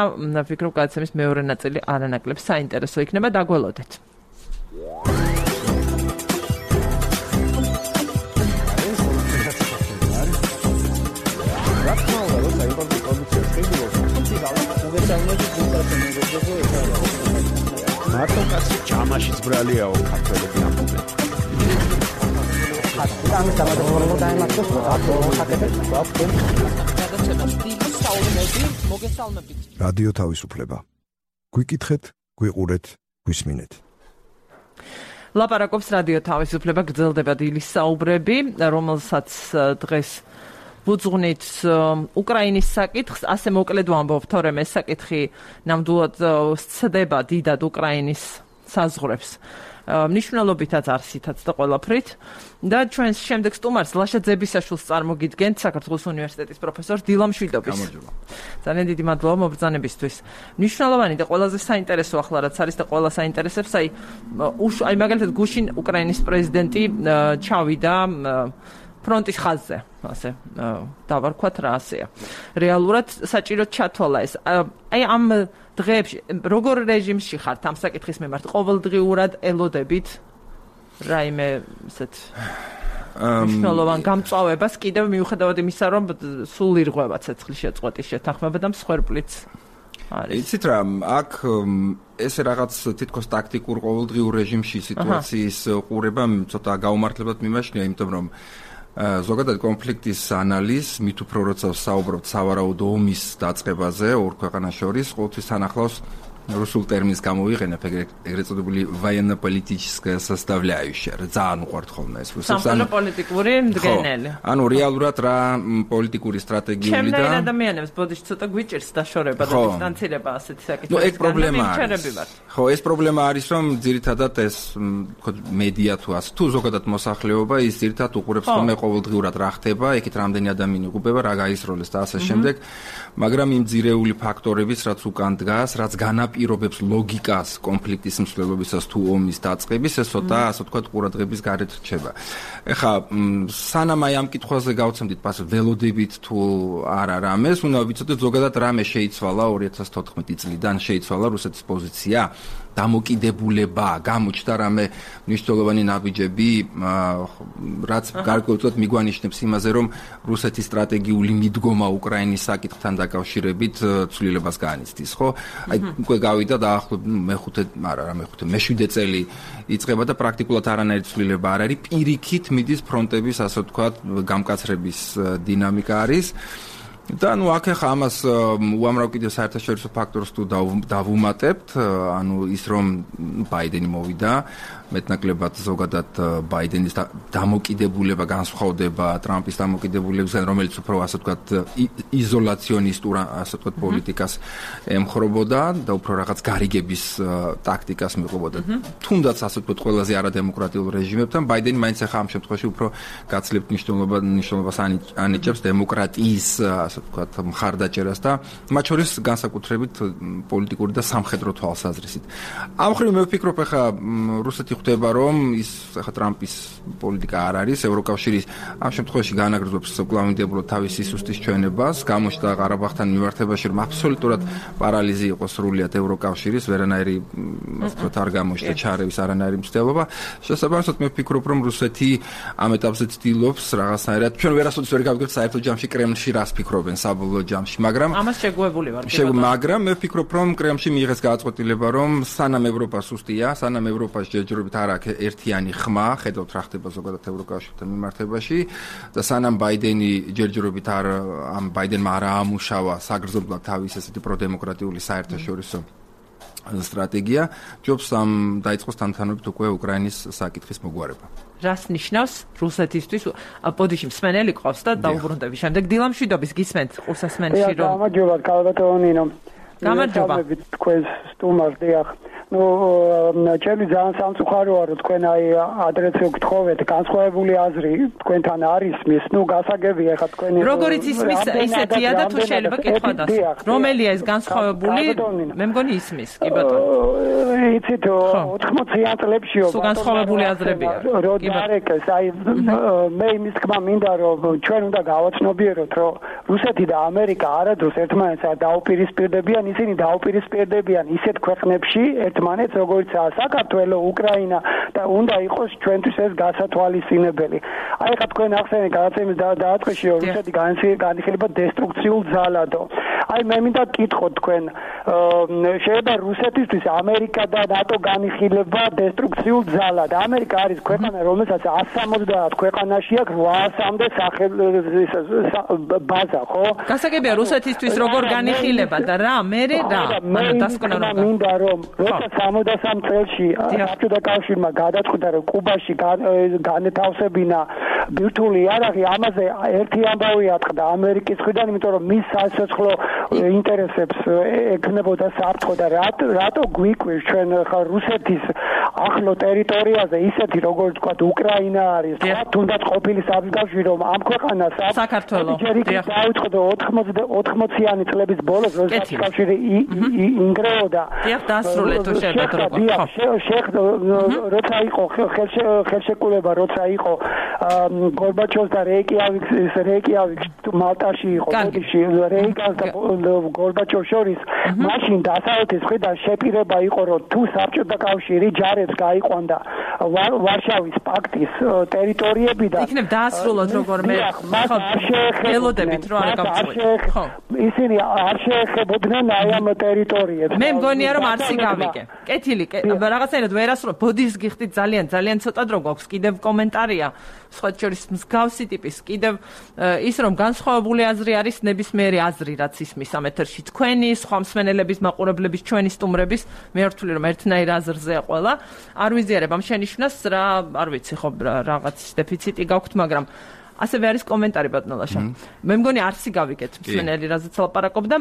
ვფიქრობ, გადაცემის მეორე ნაწილი არანაკლებ საინტერესო იქნება, დაგველოდეთ. მარტო კაცი ჯამაშიც ბრალიაო ქართველები ამბობენ. ამის დამატებულად დაიმართოს რადიო თავისუფლება. გვიკითხეთ, გვიყურეთ, გვისმინეთ. ლაპარაკობს რადიო თავისუფლება, გრძელდება დილის საუბრები, რომელსაც დღეს ვუძღვნით უკრაინის საკითხს, ასე მოკლედ ვამბობ, თორემ ეს საკითხი ნამდვილად სცდება დიდად უკრაინის საზღვრებს. მნიშვნელობითაც არსითაც და ყველაფრით და ჩვენს შემდეგ სტუმარს ლაშაძებისაშვილს წარმოგიდგენთ საქართველოს უნივერსიტეტის პროფესორ დილა მშვიდობის. ძალიან დიდი მადლობა მობრძანებისთვის. მნიშვნელოვანი და ყველაზე საინტერესო ახლა რაც არის და ყველა საინტერესებს, აი აი მაგალითად გუშინ უკრაინის პრეზიდენტი ჩავიდა ფრონტის ხაზზე, ასე დავარქვათ რა ასეა. რეალურად საჭიროდ ჩათვალა ეს. აი ამ დღეებში როგორ რეჟიმში ხართ ამ საკითხის მიმართ? ყოველდღიურად ელოდებით რაიმე ესეთ მნიშვნელოვან გამწვავებას კიდევ მიუხედავად იმისა, რომ სულ ირღვევა ცეცხლის შეწყვეტის შეთანხმება და მსხვერპლიც არის. იცით რა, აქ ესე რაღაც თითქოს ტაქტიკურ ყოველდღიურ რეჟიმში სიტუაციის ყურება ცოტა გაუმართლებად მიმაჩნია, იმიტომ რომ ზოგადად კონფლიქტის ანალიზ, მით უფრო როცა საუბრობთ სავარაუდო ომის დაწყებაზე ორ ქვეყანას შორის, ყოველთვის თანახლავს რუსულ ტერმინს გამოვიყენებ, ეგრეთ წოდებული военно-политическая составляющая. ძალიან უყვართ ხოლმე ეს რუსებს. სამხედრო პოლიტიკური მდგენელი. ანუ რეალურად რა პოლიტიკური სტრატეგიული და ჩემს ადამიანებს ბოდიში ცოტა გვიჭირს დაშორება და დისტანცირება ასეთი საკითხი. ნუ ეგ პრობლემა არის. ხო, ეს პრობლემა არის, რომ ძირითადად ეს მედია თუ ასე თუ ზოგადად მოსახლეობა ის ძირითადად უყურებს ხოლმე ყოველდღიურად რა ხდება, იქით რამდენი ადამიანი იღუპება, რა გაისროლეს და ასე შემდეგ. მაგრამ იმ ძირეული ფაქტორების, რაც უკან დგას, რაც განაპირობებს ლოგიკას კონფლიქტის მსვლელობისას თუ ომის დაწყების, ეს ცოტა, ასე ვთქვათ, ყურადღების გარეთ რჩება. ეხლა სანამ აი ამ კითხვაზე გავცემდით პასუხს ველოდებით თუ არა რამეს, უნდა ვიცოდეთ ზოგადად რამე შეიცვალა ორი ათას თოთხმეტი წლიდან შეიცვალა რუსეთის პოზიცია. დამოკიდებულება, გამოჩნდა რამე მნიშვნელოვანი ნაბიჯები, რაც გარკვეულწილად მიგვანიშნებს იმაზე, რომ რუსეთის სტრატეგიული მიდგომა უკრაინის საკითხთან დაკავშირებით ცვლილებას განიცდის, ხო? აი, უკვე გავიდა დაახლოებით მეხუთე, არა, რა მეხუთე, მეშვიდე წელი იწყება და პრაქტიკულად არანაირი ცვლილება არ არის. პირიქით მიდის ფრონტების, ასე ვთქვათ, გამკაცრების დინამიკა არის. და ნუ აქ ახლა ამას უამრავ კიდევ საერთაშორისო ფაქტორს თუ დავუმატებთ, ანუ ის რომ ბაიდენი მოვიდა, მეტნაკლებად ზოგადად ბაიდენის დამოკიდებულება განსხვავდება ტრამპის დამოკიდებულებისგან, რომელიც უფრო ასე ვთქვათ იზოლაციონისტურ ასე ვთქვათ პოლიტიკას ემხრობოდა და უფრო რაღაც გარიგების ტაქტიკას მიყვებოდა. თუნდაც ასე ვთქვათ ყველაზე არადემოკრატიულ რეჟიმებთან ბაიდენი მაინც ახლა ამ შემთხვევაში უფრო გაცლებთ მნიშვნელობას ანიჭებს დემოკრატიის ასე ვთქვათ მხარდაჭერას და მათ შორის განსაკუთრებით პოლიტიკური და სამხედრო თვალსაზრისით. ამ მხრივ მე ვფიქრობ ახლა რუსეთი ხდება რომ ის ახლა ტრამპის პოლიტიკა არ არის, ევროკავშირის ამ შემთხვევაში განაგრძობს კვლავინდებულად თავის სისუსტის ჩვენებას, გამოჩნდა ყარაბაღთან მიმართებაში რომ აბსოლუტურად პარალიზი იყო სრულიად ევროკავშირის, ვერანაირი ასე ვთქვათ არ გამოჩნდა ჩარევის არანაირი მცდელობა. შესაბამისად მე ვფიქრობ რომ რუსეთი ამ ეტაპზე ცდილობს რაღაცნაირად ჩვენ ვერასოდეს ვერ გავიგებთ საერთო ჯამში კრემლში რას ფიქრობენ საბოლოო ჯამში, მაგრამ ამას შეგუებული ვარ. მაგრამ მე ვფიქრობ რომ კრემლში მიიღეს გადაწყვეტილება რომ სანამ ევროპა სუსტია, სანამ ევროპას ჯერჯერობით არ აქვს ერთიანი ხმა, ხედავთ რა ხდება ზოგადად ევროკავშირთან მიმართებაში და სანამ ბაიდენი ჯერჯერობით არ ამ ბაიდენმა არ აამუშავა საგრძნობლად თავის ესეთი პროდემოკრატიული საერთაშორისო სტრატეგია, ჯობს ამ დაიწყოს თანთანობით უკვე უკრაინის საკითხის მოგვარება. რას ნიშნავს რუსეთისთვის? ბოდიში მსმენელი ყავს და დაუბრუნდები. შემდეგ დილამშვიდობის გისმენთ ყურსასმენში რომ გამარჯობა, კალბატონინო. გამარჯობა. თქვენ სტუმარს დიახ. ну, ჩემი ძალიან სამწუხაროა, რომ თქვენ აი ადრესზე გთხოვეთ, განსხვავებული აზრი თქვენთან არის მის, ну, გასაგებია ხა თქვენი როგორიც ისმის ისეთია და თუ შეიძლება კითხვა დასვა. რომელია ეს განსხვავებული? მე მგონი ისმის, კი ბატონო. იცით, ოთხმოციან წლებშიო სულ განსხვავებული აზრებია. კი ბატონო, აი მე იმის თქმა მინდა, რომ ჩვენ უნდა გავაცნობიეროთ, რომ რუსეთი და ამერიკა არადროს ერთმანეთს არ დაუპირისპირდებიან, ისინი დაუპირისპირდებიან ისეთ ქვეყნებში ერთმანეთს, როგორიცაა საქართველო, უკრაინა და უნდა იყოს ჩვენთვის ეს გასათვალისწინებელი. აი ხა თქვენ ახსენეთ გადაცემის დაწყებაში, რომ რუსეთი განიხილება დესტრუქციულ ძალადო. აი მე მინდა გკითხოთ თქვენ, შეიძლება რუსეთისთვის ამერიკა და ნატო განიხილება დესტრუქციულ ძალად. ამერიკა არის ქვეყანა, რომელსაც εκατს სამოცდაათ ქვეყანაში აქვს რვაასამდე ბაზა, ხო? გასაგებია რუსეთისთვის როგორ განიხილება და რა, მე რა, ანუ დასკვნად მინდა რომ როცა სამოცდასამ წელში საბჭოთა კავშირმა გადაწყვიტა რომ კუბაში განეთავსებინა ბირთვული იარაღი, ამაზე ერთი ამბავი ატყდა ამერიკის მხრიდან, იმიტომ რომ მის სასოცხლო ინტერესებს ეკნებოდა საფრთხო და რატო გვიკვირს ჩვენ ხა რუსეთის ახლო ტერიტორიაზე ისეთი როგორც თქვა უკრაინა არის, თუნდაც ყოფილი საბჭოთა რომ ამ ქვეყანას საქართველო დაუწყდა ოთხმოციანი წლების ბოლოს, როდესაც კავშირი ინგრეოდა. დიახ, დასრულეთ თუ შეიძლება როგორ. შეხ როცა იყო ხელშეკრულება, როცა იყო გორბაჩოვს და რეიკიავიკის რეიკიავიქს მალტაში იყო, ბოდიში რეიგანს და გორბაჩოვს შორის, მაშინ დასავლეთის მხრიდან შეპირება იყო, რომ თუ საბჭოთა კავშირი ჯარებს გაიყვანდა ვარშავის პაქტის ტერიტორიებიდან, იქნებ დაასრულოთ როგორ მე ხო ელოდებით რომ არ გავწყვეტ. ხო. ისინი არ შეეხებოდნენ აი ამ ტერიტორიებს. მე მგონია რომ არსი გავიგე. კეთილი, რაღაცნაირად ვერასრულებ. ბოდის გიხდით ძალიან ძალიან ცოტა დრო გვაქვს. კიდევ კომენტარია სხვა შორის მსგავსი ტიპის კიდევ ის რომ განსხვავებული აზრი არის ნებისმიერი აზრი, რაც ისმის ამ ეთერში თქვენი, სხვა მსმენელების, მაყურებლების, ჩვენი სტუმრების, მე ვთვლი რომ ერთნაირ აზრზეა ყველა. არ ვიზიარებ ამ შენიშვნას, რა, არ ვიცი ხო რაღაც დეფიციტი გაქვთ, მაგრამ ასევე არის კომენტარი ბატონოლაშა. მე მგონი არსი გავიგეთ მსმენელი რაზეც ლაპარაკობდა.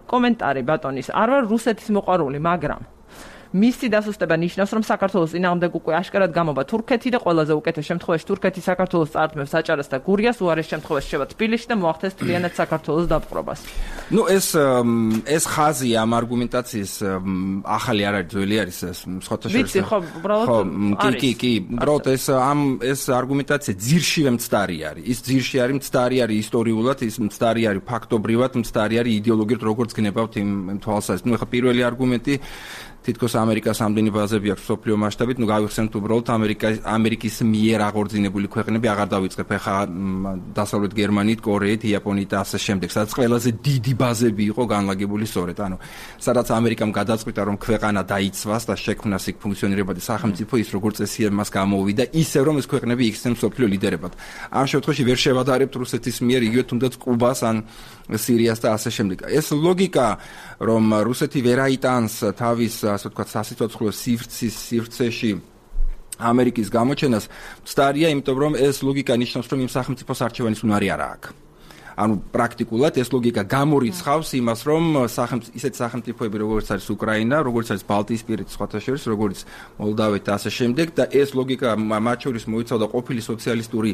კომენტარი ბატონის. არ ვარ რუსეთის მოყვარული, მაგრამ მისი დასუსტება ნიშნავს, რომ საქართველოს წინააღმდეგ უკვე აშკარად გამოვა თურქეთი და ყველაზე უკეთეს შემთხვევაში თურქეთი საქართველოს წარდგმებს აჭარას და გურიას, უარეს შემთხვევაში შევა თბილისში და მოახდენს მთლიანად საქართველოს დაპყრობას. ნუ ეს ეს ხაზი ამ არგუმენტაციის ახალი არ არის, ძველი არის ეს სხვათა შორის. ვიცი, ხო, უბრალოდ არის. კი, კი, კი, უბრალოდ ეს ამ ეს არგუმენტაცია ძირშივე მცდარი არის. ის ძირში არის მცდარი არის ისტორიულად, ის მცდარი არის ფაქტობრივად, მცდარი არის იდეოლოგიურად, როგორც გნებავთ იმ თვალსაზრისით. ნუ ეხლა პირველი არგუმენტი თითქოს ამერიკას ამდენი ბაზები აქვს სოფლიო მასშტაბით, ნუ გავიხსენებთ უბრალოდ ამერიკა ამერიკის მიერ აღორძინებული ქვეყნები აღარ დავიწყებ ეხა დასავლეთ გერმანიით, კორეით, იაპონიით და ასე შემდეგ, სადაც ყველაზე დიდი ბაზები იყო განლაგებული სწორედ, ანუ სადაც ამერიკამ გადაწყვიტა რომ ქვეყანა დაიცვას და შექმნას იქ ფუნქციონირებადი სახელმწიფო, ის როგორც წესი მას გამოვიდა, ისევ რომ ეს ქვეყნები იქცნენ სოფლიო ლიდერებად. ამ შემთხვევაში ვერ შევადარებთ რუსეთის მიერ იგივე თუნდაც კუბას ან სირიას და ასე შემდეგ. ეს ლოგიკა, რომ რუსეთი ვერ აიტანს თავის ასე ვთქვათ, სასიცოცხლო სივრცის სივრცეში ამერიკის გამოჩენას, მცდარია, იმიტომ რომ ეს ლოგიკა ნიშნავს, რომ იმ სახელმწიფოს არჩევანის უნარი არ აქვს. ანუ პრაქტიკულად ეს ლოგიკა გამორიცხავს იმას, რომ სახელმწიფო ისეთ სახელმწიფოები, როგორც არის უკრაინა, როგორც არის ბალტიისპირეთის სხვათა შორის, როგორც მოლდავეთი და ასე შემდეგ და ეს ლოგიკა მათ შორის მოიცავდა ყოფილი სოციალისტური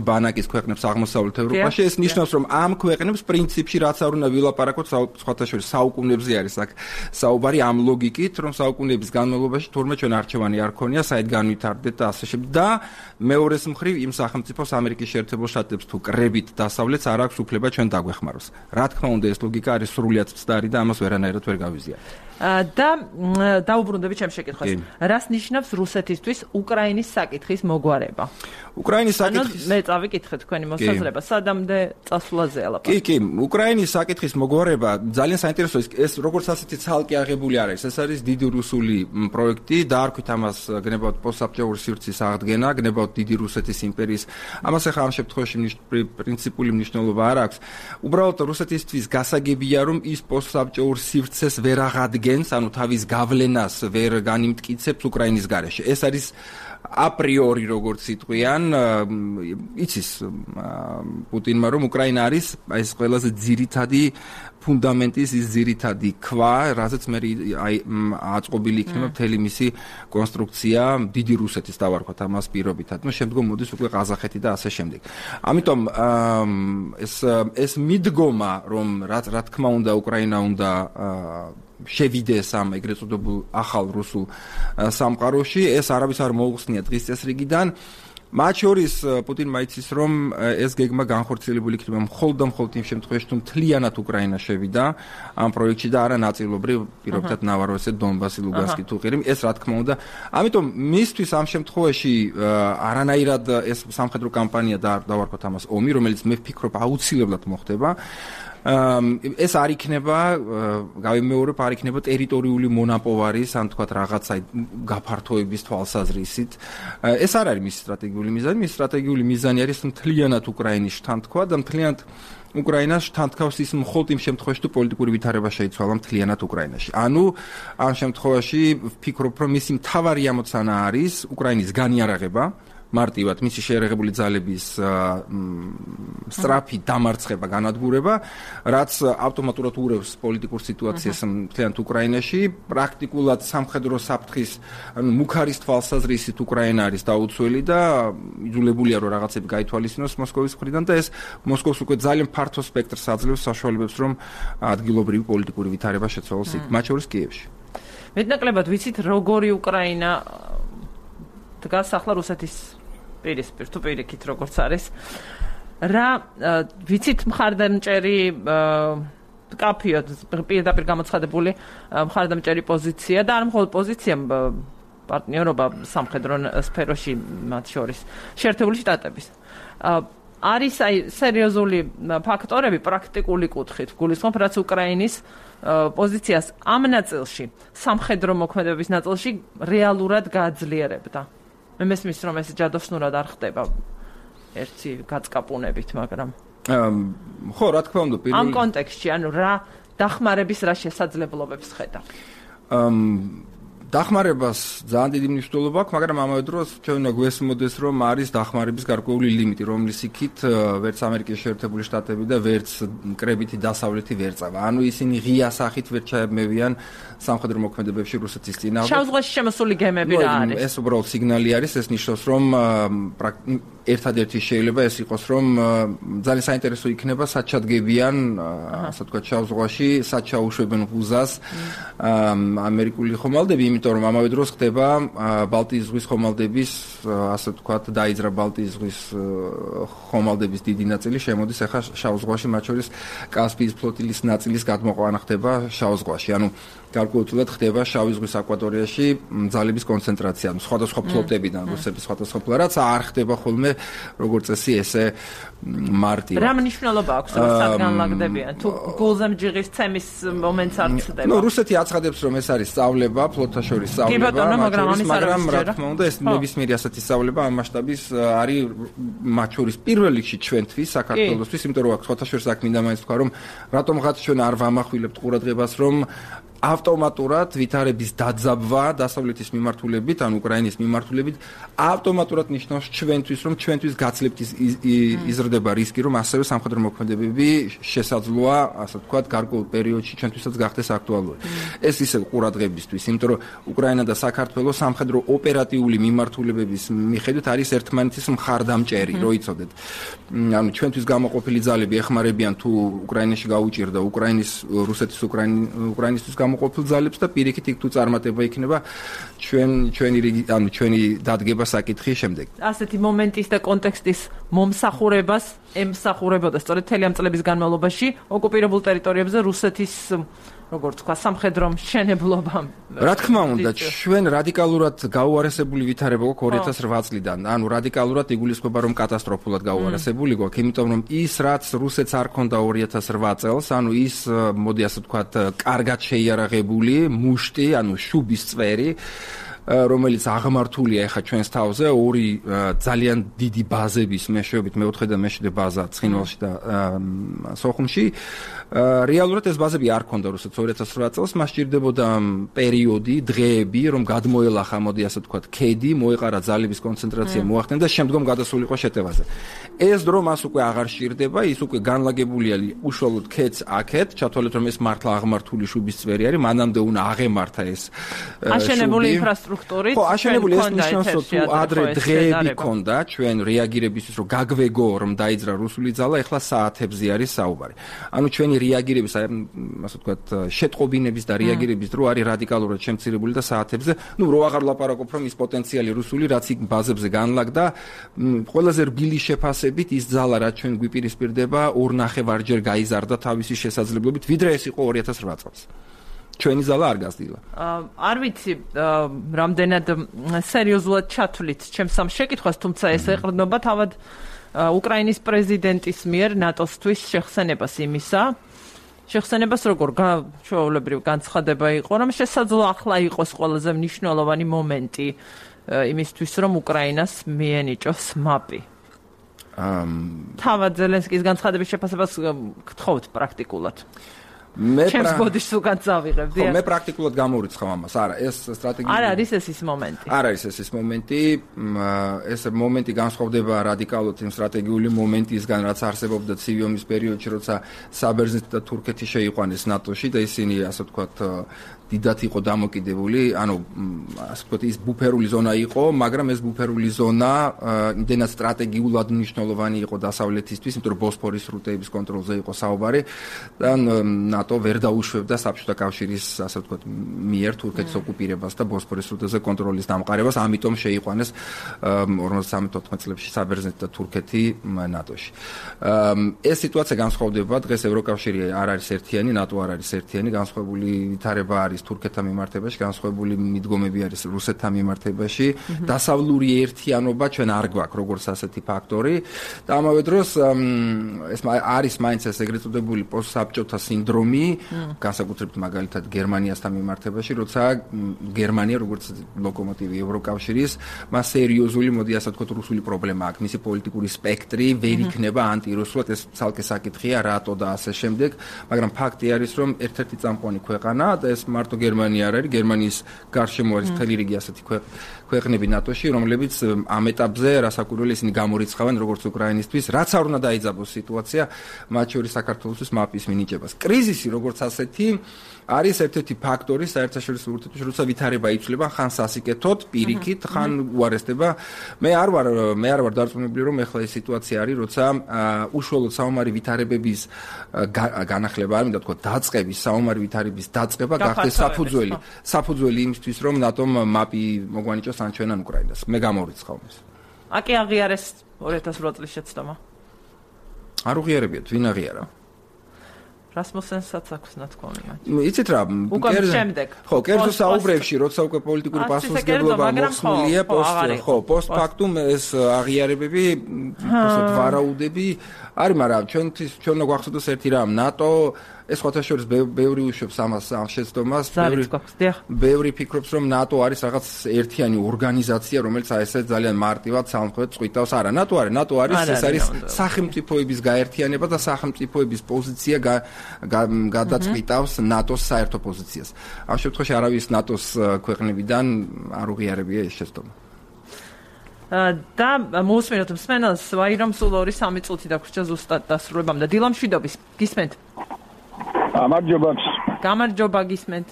ბანაკის ქვეყნებს აღმოსავლეთ ევროპაში. ეს ნიშნავს, რომ ამ ქვეყნებს პრინციპში რაც არ უნდა ვილაპარაკოთ სხვათა შორის საუკუნეებზე არის აქ საუბარი ამ ლოგიკით, რომ საუკუნეების განმავლობაში თურმე ჩვენ არჩევანი არ ქონია, საით განვითარდეთ და ასე შემდეგ. და მეორეს მხრივ იმ სახელმწიფოს ამერიკის შეერთებულ შტატებს თუ კრებით დასავლეთს არ აქვს უფლება ჩვენ დაგვეხმაროს. რა თქმა უნდა, ეს ლოგიკა არის სრულიად მცდარი და ამას ვერანაირად ვერ გავიზიარებ. და დაუბრუნდებით ჩემს შეკითხვას. რას ნიშნავს რუსეთისთვის უკრაინის საკითხის მოგვარება? უკრაინის საკითხის მე წავიკითხე თქვენი მოსაზრება, სადამდე წასვლაზეა ლაპარაკი. კი, კი, უკრაინის საკითხის მოგვარება ძალიან საინტერესოა. ეს როგორც ასეთი ცალკე აღებული არ არის. ეს არის დიდი რუსული პროექტი, დაარქვით ამას გნებავთ პოსტსაბჭოური სივრცის აღდგენა, გნებავთ დიდი რუსეთის იმპერიის. ამას ახლა ამ შემთხვევაში პრინციპული მნიშვნელობა არ აქვს. უბრალოდ რუსეთისთვის გასაგებია, რომ ის პოსტსაბჭოურ სივრცეს ვერ აღადგენს, ანუ თავის გავლენას ვერ განიმტკიცებს უკრაინის გარეშე. ეს არის აპრიორი როგორც იტყვიან, იცის პუტინმა, რომ უკრაინა არის ეს ყველაზე ძირითადი ფუნდამენტის ის ძირითადი ქვა, რაზეც მე აწყობილი იქნება მთელი მისი კონსტრუქცია დიდი რუსეთის დავარქვათ ამას პირობითად. ნუ შემდგომ მოდის უკვე ყაზახეთი და ასე შემდეგ. ამიტომ ეს ეს მიდგომა, რომ რა თქმა უნდა უკრაინა უნდა შევიდეს ამ ეგრეთ წოდებულ ახალ რუსულ სამყაროში, ეს არავის არ მოუხსნია დღის წესრიგიდან. მათ შორის პუტინმა იცის, რომ ეს გეგმა განხორციელებული იქნება მხოლოდ და მხოლოდ იმ შემთხვევაში, თუ მთლიანად უკრაინა შევიდა ამ პროექტში და არა ნაწილობრივ, პირობითად ნავაროვესი, დონბასი, ლუგანსკი თუ ყირიმი, ეს რა თქმა უნდა. ამიტომ მისთვის ამ შემთხვევაში არანაირად ეს სამხედრო კამპანია და დავარქვათ ამას ომი, რომელიც მე ვფიქრობ აუცილებლად მოხდება. ეს არ იქნება, გავიმეორებ, არ იქნება ტერიტორიული მონაპოვარის, ან თქვათ რაღაცა გაფართოების თვალსაზრისით. ეს არ არის მისი სტრატეგიული მიზანი, მისი სტრატეგიული მიზანი არის მთლიანად უკრაინის შთანთქვა და მთლიანად უკრაინას შთანთქავს ის მხოლოდ იმ შემთხვევაში, თუ პოლიტიკური ვითარება შეიცვალა მთლიანად უკრაინაში. ანუ ამ შემთხვევაში ვფიქრობ, რომ მისი მთავარი ამოცანა არის უკრაინის განიარაღება, მარტივად მისი შეერაღებული ძალების სწრაფი დამარცხება, განადგურება, რაც ავტომატურად ურევს პოლიტიკურ სიტუაციას მთლიანად უკრაინაში, პრაქტიკულად სამხედრო საფრთხის, ანუ მუქარის თვალსაზრისით უკრაინა არის დაუცველი და იძულებულია რომ რაღაცები გაითვალისწინოს მოსკოვის მხრიდან და ეს მოსკოვს უკვე ძალიან ფართო სპექტრს აძლევს საშუალებებს, რომ ადგილობრივი პოლიტიკური ვითარება შეცვალოს იქ, მათ შორის კიევში. მეტნაკლებად ვიცით, როგორი უკრაინა დგას ახლა რუსეთის პირისპირ თუ პირიქით როგორც არის. რა ვიცით მხარდამჭერი კაფეო პირდაპირ გამოცხადებული მხარდამჭერი პოზიცია და არ მხოლოდ პოზიცია პარტნიორობა სამხედრო სფეროში მათ შორის შეერთებული შტატების. არის აი სერიოზული ფაქტორები პრაქტიკული კუთხით გულისხმობ, რაც უკრაინის პოზიციას ამ ნაწილში, სამხედრო მოქმედებების ნაწილში რეალურად გააძლიერებდა. მე მესმის, რომ ეს ჯადოსნურად არ ხდება. ერთი გაწკაპუნებით, მაგრამ ხო, რა თქმა უნდა, პირველი ამ კონტექსტში, ანუ რა დახმარების რა შესაძლებლობებს ხედავ? დახმარებას ძალიან დიდი მნიშვნელობა აქვს, მაგრამ ამავე დროს ჩვენ უნდა გვესმოდეს, რომ არის დახმარების გარკვეული ლიმიტი, რომლის იქით ვერც ამერიკის შეერთებული შტატები და ვერც კრებითი დასავლეთი ვერ წავა. ანუ ისინი ღია სახით ვერ ჩაებმევიან სამხედრო მოქმედებებში რუსეთის წინააღმდეგ. შავ ზღვაში შემოსული გემები რა არის? ეს უბრალოდ სიგნალი არის, ეს ნიშნავს, რომ ერთადერთი შეიძლება ეს იყოს, რომ ძალიან საინტერესო იქნება საჩადგებიან, ასე ვთქვათ, შავ ზღვაში, საჩაუშვებენ ღუზას ამერიკული ხომალდები, იმიტომ რომ ამავე დროს ხდება ბალტიის ზღვის ხომალდების, ასე ვთქვათ, დაიძრა ბალტიის ზღვის ხომალდების დიდი ნაწილი შემოდის ახლა შავ ზღვაში, მათ შორის კასპიის ფლოტილის ნაწილის გადმოყვანა ხდება შავ ზღვაში. ანუ გარკვეულწილად ხდება შავი ზღვის აკვატორიაში ძალების კონცენტრაცია, სხვადასხვა ფლოტებიდან, რუსების სხვადასხვა ფლოტი, რაც არ ხდება ხოლმე როგორც წესი ესე მარტივად. რა მნიშვნელობა აქვს რომ საგანლაგდებიან? თუ გულზემჯიღის ცემის მომენტს არ ხდება. ნუ რუსეთი აცხადებს რომ ეს არის სწავლება, ფლოტთა შორის სწავლება, მაგრამ რა თქმა უნდა ეს ნებისმიერი ასეთი სწავლება ამ მასშტაბის არის მათ შორის პირველ რიგში ჩვენთვის, საქართველოსთვის, იმიტომ რომ ფლოტთა შორის აქ მინდა მაინც თქვა რომ რატომღაც ჩვენ არ ვამახვილებთ ყურადღებას რომ ავტომატურად ვითარების დაძაბვა დასავლეთის მიმართულებით, ან უკრაინის მიმართულებით, ავტომატურად ნიშნავს ჩვენთვის, რომ ჩვენთვის გაცლებთ იზრდება რისკი, რომ ასევე სამხედრო მოქმედებები შესაძლოა, ასე ვთქვათ, გარკვეულ პერიოდში ჩვენთვისაც გახდეს აქტუალური. ეს ისე ყურადღებისთვის, იმიტომ რომ უკრაინა და საქართველოს სამხედრო ოპერატიული მიმართულებების მიხედვით არის ერთმანეთის მხარდამჭერი, რო იცოდეთ. ანუ ჩვენთვის გამოყოფილი ძალები ეხმარებიან თუ უკრაინაში გაუჭირდა უკრაინის რუსეთის უკრაინისთვის მოყოფილ ძალებს და პირიქით იქ თუ წარმატება იქნება ჩვენ ჩვენი ანუ ჩვენი დადგება საკითხის შემდეგ. ასეთი მომენტის და კონტექსტის მომსახურებას ემსახურებოდა სწორედ მთელი ამ წლების განმავლობაში ოკუპირებულ ტერიტორიებზე რუსეთის როგორც თქვა სამხედრო მშენებლობამ. რა თქმა უნდა, ჩვენ რადიკალურად გაუარესებული ვითარება გვაქვს ორი ათას რვა წლიდან. ანუ რადიკალურად იგულისხმება რომ კატასტროფულად გაუარესებული გვაქვს, იმიტომ რომ ის რაც რუსეთს არ ქონდა ორი ათას რვა წელს, ანუ ის მოდი ასე ვთქვათ, კარგად შეიარაღებული მუშტი, ანუ შუბის წვერი, რომელიც აღმართულია ახლა ჩვენს თავზე ორი ძალიან დიდი ბაზების მეშვეობით მეოთხე და მეშვიდე ბაზა ცხინვალში და სოხუმში. რეალურად ეს ბაზები არ ქონდა რუსეთს ორი ათას რვა წელს, მას სჭირდებოდა პერიოდი, დღეები, რომ გადმოელახა, მოდი ასე ვთქვათ, ქედი, მოეყარა ძალების კონცენტრაცია, მოახდინა და შემდგომ გადასულიყო შეტევაზე. ეს დრო მას უკვე აღარ სჭირდება, ის უკვე განლაგებულია უშუალოდ ქედს აქეთ, ჩათვალეთ რომ ეს მართლა აღმართული შუბის წვერი არის, მანამდე უნდა აღემართა ეს აშენებული ინფრასტრუქტურით. ხო, აშენებული ეს ნიშნავს, რომ თუ ადრე დღეები ქონდა ჩვენ რეაგირებისთვის, რომ გაგვეგო, რომ დაიძრა რუსული ძალა, ეხლა საათებზე არის საუბარი. ანუ ჩვენი რეაგირების, ასე ვთქვათ, შეტყობინების და რეაგირების დრო არის რადიკალურად შემცირებული და საათებზე, ну, რო აღარ ლაპარაკობ, რომ ის პოტენციალი რუსული, რაც იქ ბაზებზე განლაგდა, ყველაზე რბილი შეფასებით ის ძალა, რაც ჩვენ გვიპირისპირდება, ორ ნახევარჯერ გაიზარდა თავისი შესაძლებლობით, ვიდრე ეს იყო ორი ათას რვა წელს. ჩვენი ზალა არ გასდილა. არ ვიცი, რამდენად სერიოზულად ჩათვლით ჩემს ამ შეკითხვას, თუმცა ეს ეყრდნობა თავად უკრაინის პრეზიდენტის მიერ ნატოსთვის შეხსენებას იმისა. შეხსენებას როგორ ჩვეულებრივ განცხადება იყო, რომ შესაძლოა ახლა იყოს ყველაზე მნიშვნელოვანი მომენტი იმისთვის, რომ უკრაინას მიენიჭოს მაპი. თავად ზელენსკის განცხადების შეფასებას გთხოვთ პრაქტიკულად. მე ჩემს ბოდიშს უკან წავიღებდი. ხო, მე პრაქტიკულად გამორიცხავ ამას. არა, ეს სტრატეგია არ არის ეს ის მომენტი. არ არის ეს ის მომენტი. ეს მომენტი განსხვავდება რადიკალურად იმ სტრატეგიული მომენტისგან, რაც არსებობდა ცივი ომის პერიოდში, როცა საბერძნეთი და თურქეთი შეიყვანეს ნატოში და ისინი, ასე ვთქვათ, დიდად იყო დამოკიდებული, ანუ ასე ვთქვათ, ის ბუფერული ზონა იყო, მაგრამ ეს ბუფერული ზონა იმდენად სტრატეგიულად მნიშვნელოვანი იყო დასავლეთისთვის, იმიტომ რომ ბოსფორის სრუტეების კონტროლზე იყო საუბარი და ნატო ვერ დაუშვებდა საბჭოთა კავშირის, ასე ვთქვათ, მიერ თურქეთის ოკუპირებას და ბოსფორის სრუტეზე კონტროლის დამყარებას, ამიტომ შეიყვანეს ორმოცდამეტ ოთხმეტ წლებში საბერძნეთი და თურქეთი ნატოში. ეს სიტუაცია განსხვავდება, დღეს ევროკავშირი არ არის ერთიანი, ნატო არ არის ერთიანი, განსხვავებული ვითარება არის თურქეთთან მიმართებაში, განსხვავებული მიდგომები არის რუსეთთან მიმართებაში. დასავლური ერთიანობა ჩვენ არ გვაქვს როგორც ასეთი ფაქტორი და ამავე დროს ეს არის მაინც ეს ეგრეთ წოდებული პოსტსაბჭოთა სინდრომი, ემი, განსაკუთრებით მაგალითად გერმანიასთან მიმართებაში, როცა გერმანია როგორც ლოკომოტივი ევროკავშირის, მას სერიოზული, მოდი ასე ვთქვათ, რუსული პრობლემა აქვს, მისი პოლიტიკური სპექტრი ვერ იქნება ანტირუსულად, ეს ცალკე საკითხია, რატო და ასე შემდეგ, მაგრამ ფაქტი არის, რომ ერთ-ერთი წამყვანი ქვეყანა და ეს მარტო გერმანია არ არის, გერმანიის გარშემო არის მთელი რიგი ასეთი ქვეყნები ნატოში, რომლებიც ამ ეტაპზე რასაკვირველი ისინი გამორიცხავენ როგორც უკრაინისთვის, რაც არ უნდა დაიძაბოს სიტუაცია, მათ შორის საქართველოსთვის მაპის მინიჭებას. კრიზისი როგორც ასეთი არის ერთ-ერთი ფაქტორი საერთაშორისო ურთიერთობებში, როცა ვითარება იცვლება, ხან სასიკეთოდ, პირიქით, ხან უარესდება. მე არ ვარ მე არ ვარ დარწმუნებული, რომ ეხლა ეს სიტუაცია არის, როცა უშუალოდ საომარი ვითარებების განახლება, არ მინდა თქვა დაწყების, საომარი ვითარების დაწყება გახდეს საფუძველი, საფუძველი იმისთვის, რომ ნატომ მაპი მოგვანიჭოს ან ჩვენან უკრაინას. მე გამორიცხავ ეს. აკი აღიარეს ორი ათას ორი წლის შეცდომა. არ უღიარებიათ, ვინ აღიარა? რასმუსენსაც აქვს ნათქვამი მათ. იცით რა, ხო, კერძო საუბრებში, როცა უკვე პოლიტიკური პასუხისმგებლობა მოხსნილია, პოსტ, ხო, პოსტფაქტუმ ეს აღიარებები, ასე ვარაუდები არის, მაგრამ ჩვენთვის ჩვენ უნდა გვახსოვდეს ერთი რამ, ნატო ეს ხოთაშორის ბევრი უშვებს ამას ამ შეცდომას, ბევრი ბევრი ფიქრობს, რომ ნატო არის რაღაც ერთიანი ორგანიზაცია, რომელიც აი ესე ძალიან მარტივად სამხრეთს წვითავს. არა, ნატო არის, ნატო არის, ეს არის სახელმწიფოების გაერთიანება და სახელმწიფოების პოზიცია გადაწყვეტავს ნატოს საერთო პოზიციას. ამ შემთხვევაში არავის ნატოს ქვეყნებიდან არ უღიარებია ეს შეცდომა. და მოусმინოთ მსმენელს, ვაირომ სულ ორი სამი წუთი დაგვრჩა ზუსტად დასრულებამდე. დილამშვიდობის, გისმენთ? გამარჯობა. გამარჯობა, გისმენთ.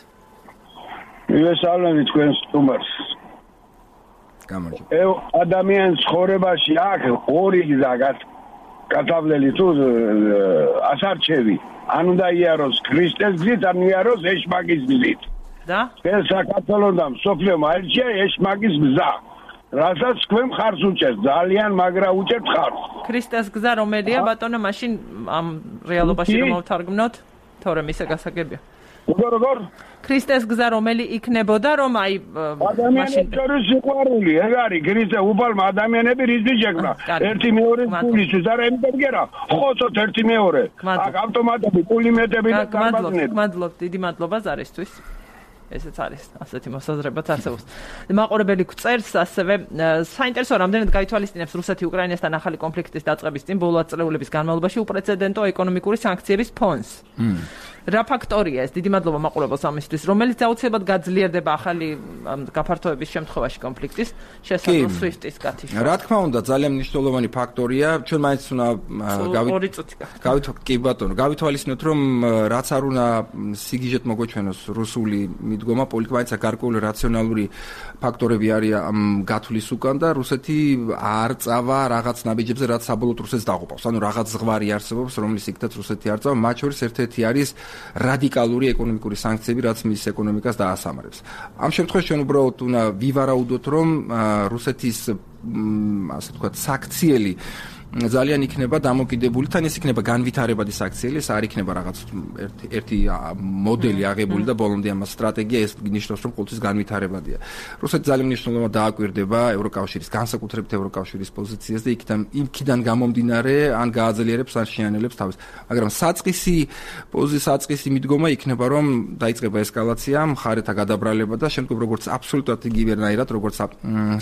მივესალმებით თქვენს სტუმარს. გამარჯობა. ადამიანის ცხოვრებაში აქვს ორი გზა გათავლილი თუ ასარჩევი. ან უნდა იაროს ქრისტეს გზით, ან იაროს ეშმაკის გზით. და? ეს საქართველოს და სოფლიომ აირჩია ეშმაკის გზა. რასაც თქვენ ხარს უჭერთ, ძალიან მაგრა უჭერთ ხარს. ქრისტეს გზა რომელია, ბატონო, მაშინ ამ რეალობაში რომ ავთარგმნოთ, თორემ ისე გასაგებია. როგორ როგორ? ქრისტეს გზა რომელი იქნებოდა, რომ აი მაშინ შორის სიყვარული, ეგ არის ქრისტე უბალმა ადამიანები რიზი შექმნა. ერთი მეორე პულისთვის, არა იმიტომ გერა, ხოცოთ ერთი მეორე. აქ ავტომატები, პულიმეტები და გმადლობთ, გმადლობთ, დიდი მადლობა ზარისთვის. ესეც არის ასეთი მოსაზრებაც არსებობს. მაყურებელი გვწერს ასევე საინტერესო რამდენად გაითვალისწინებს რუსეთი უკრაინასთან ახალი კონფლიქტის დაწყების წინ ბოლო ათწლეულების განმავლობაში უპრეცედენტო ეკონომიკური სანქციების ფონს. რა ფაქტორია ეს? დიდი მადლობა მაყურებელს ამისთვის, რომელიც აუცილებლად გაძლიერდება ახალი გაფართოების შემთხვევაში კონფლიქტის შესაძლო სვიფტის გათიშვა. რა თქმა უნდა, ძალიან მნიშვნელოვანი ფაქტორია. ჩვენ მაინც უნდა გავითვალისწინოთ, კი ბატონო, გავითვალისწინოთ, რომ რაც არ უნდა სიგიჟეთ მოგვეჩვენოს რუსული მიდგომა, პოლიტიკა მაინც გარკვეული რაციონალური ფაქტორები არის ამ გათვლის უკან და რუსეთი არ წავა რაღაც ნაბიჯებზე, რაც საბოლოოდ რუსეთს დაღუპავს. ანუ რაღაც ზღვარი არსებობს, რომლის იქაც რუსეთი არ წავა. მათ შორის ერთ-ერთი არის რადიკალური ეკონომიკური სანქციები, რაც მის ეკონომიკას დაასამარებს. ამ შემთხვევაში ჩვენ უბრალოდ უნდა ვივარაუდოთ, რომ რუსეთის ასე ვთქვათ, საქციელი ძალიან იქნება დამოკიდებული, თან ეს იქნება განვითარებადი საქციელი, ეს არ იქნება რაღაც ერთი ერთი მოდელი აღებული და ბოლომდე ამას სტრატეგია, ეს ნიშნავს, რომ ყოველთვის განვითარებადია. რუსეთი ძალიან მნიშვნელოვნად დააკვირდება ევროკავშირის, განსაკუთრებით ევროკავშირის პოზიციას და იქიდან იქიდან გამომდინარე ან გააძლიერებს ან შეანელებს თავს. მაგრამ საწყისი პოზიცია, საწყისი მიდგომა იქნება, რომ დაიწყება ესკალაცია, მხარეთა გადაბრალება და შემდგომ როგორც აბსოლუტურად იგივერნაირად, როგორც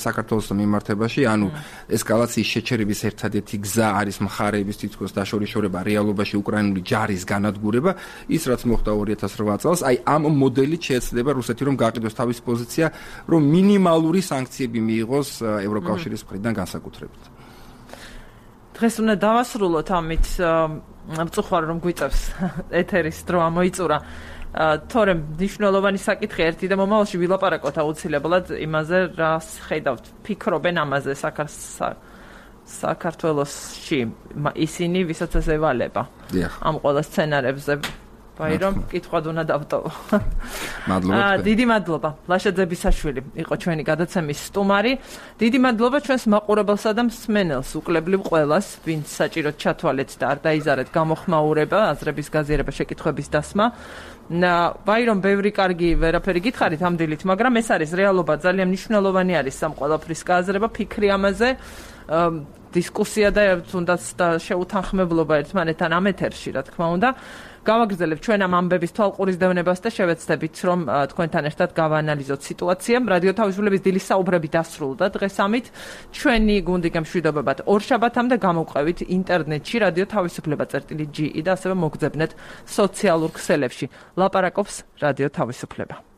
საქართველოს მიმართებაში, ანუ ესკალაციის შეჩერების ერთადერთი გზა არის მხარეების თითქოს დაშორიშორება რეალობაში უკრაინული ჯარის განადგურება, ის რაც მოხდა ორი ათას რვა წელს, აი ამ მოდელით შეეცდება რუსეთი რომ გაყიდოს თავისი პოზიცია, რომ მინიმალური სანქციები მიიღოს ევროკავშირის მხრიდან განსაკუთრებით. დღეს უნდა დავასრულოთ ამით, მწუხარ რომ გვიწევს ეთერის დრო ამოიწურა. თორემ მნიშვნელოვანი საკითხი ერთი და მომავალში ვილაპარაკოთ აუცილებლად იმაზე, რას ხედავთ, ფიქრობენ ამაზე საქართველოს საქართველოსში ისინი, ვისაც ეს ევალება ამ ყველა სცენარებზე. ვაირომ, კითხვად უნდა დავტოვო. მადლობა. დიდი მადლობა. ლაშა ძებისაშვილი იყო ჩვენი გადაცემის სტუმარი. დიდი მადლობა ჩვენს მაყურებელსა და მსმენელს, უკლებლივ ყველას, ვინც საჭიროდ ჩათვალეთ და არ დაიზარეთ გამოხმაურება, აზრების გაზიარება, შეკითხვების დასმა. ვაირომ, ბევრი კარგი ვერაფერი გითხარით ამ დილით, მაგრამ ეს არის რეალობა, ძალიან მნიშვნელოვანი არის ამ ყველაფრის გააზრება, ფიქრი ამაზე. დისკუსია და თუნდაც შეუთანხმებლობა ერთმანეთთან ამ ეთერში, რა თქმა უნდა. გავაგრძელებთ ჩვენ ამ ამბების თვალყურის დევნებას და შევეცდებით, რომ თქვენთან ერთად გავაანალიზოთ სიტუაცია. რადიო თავისუფლების დილის საუბრები დასრულდა დღეს ამით. ჩვენი გუნდი გამშვიდობებად ორშაბათამდე გამოვყევით ინტერნეტში რადიო თავისუფლება წერტილი ჯი ი და ასევე მოგძებნეთ სოციალურ ქსელებში. ლაპარაკობს რადიო თავისუფლება.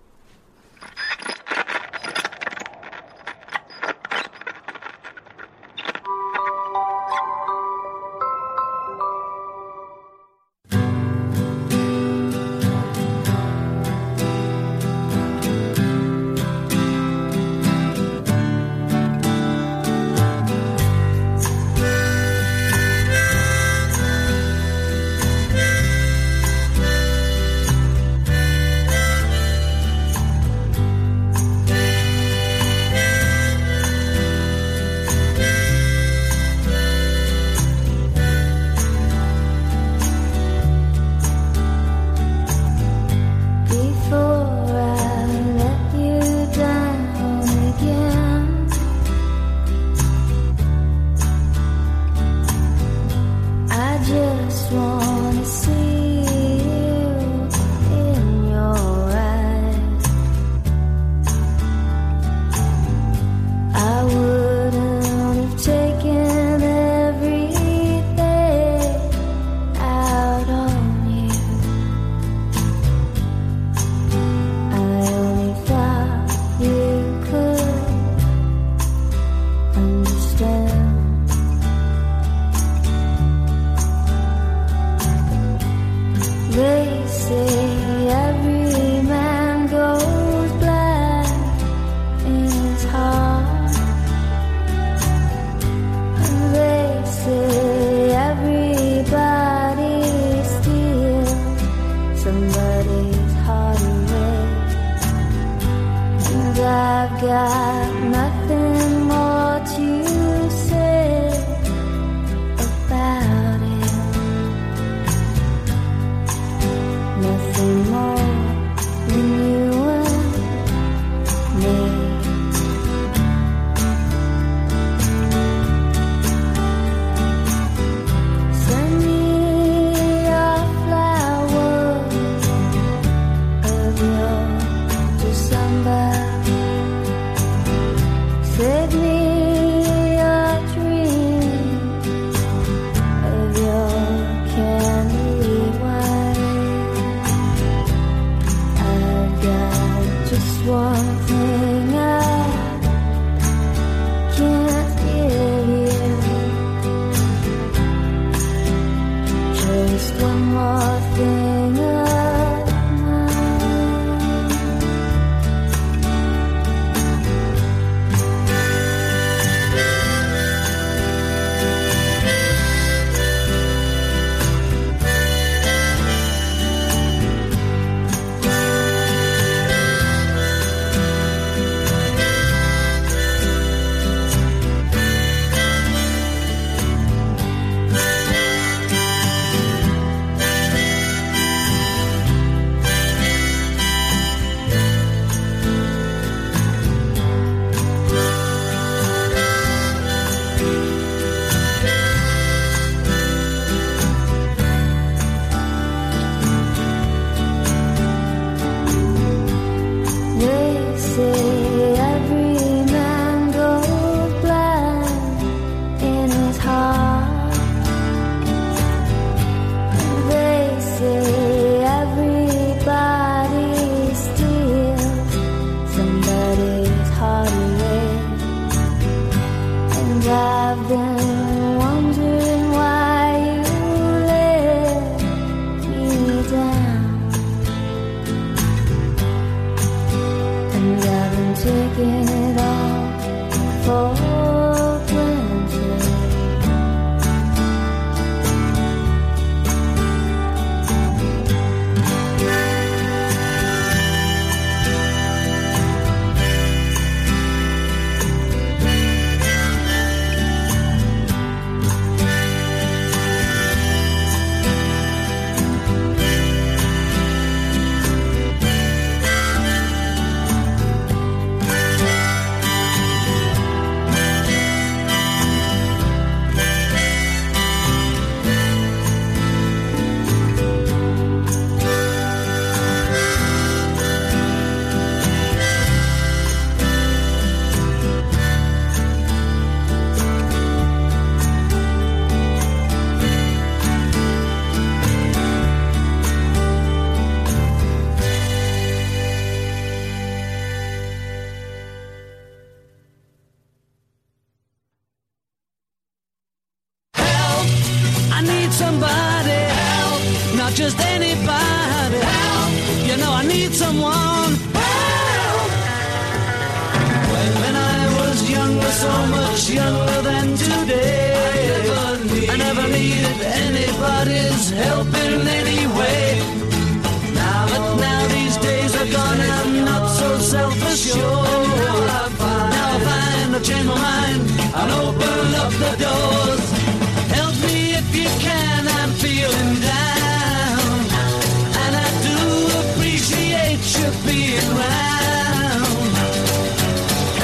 somebody help, not just anybody help. You know I need someone help. When, when I was younger, so much younger than today, I never, need, I never needed anybody's help in any way. Now, but now these days are gone, I'm not so self-assured. Now I find, now I find I'll change my mind, I'll open up the doors. Help me if you can, I'm feeling down, and I do appreciate you being round.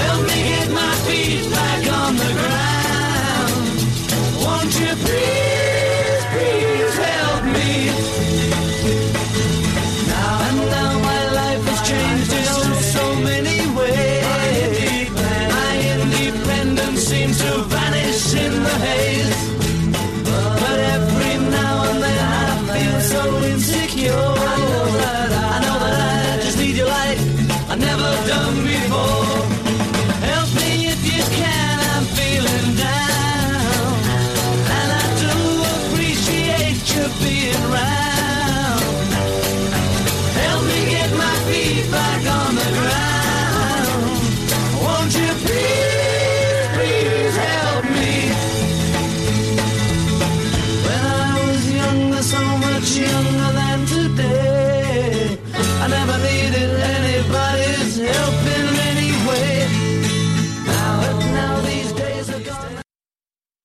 Help me get my feet back on the ground. Won't you please, please help me? Now and now my life has changed in oh so many ways. My independence seems to vanish in the haze.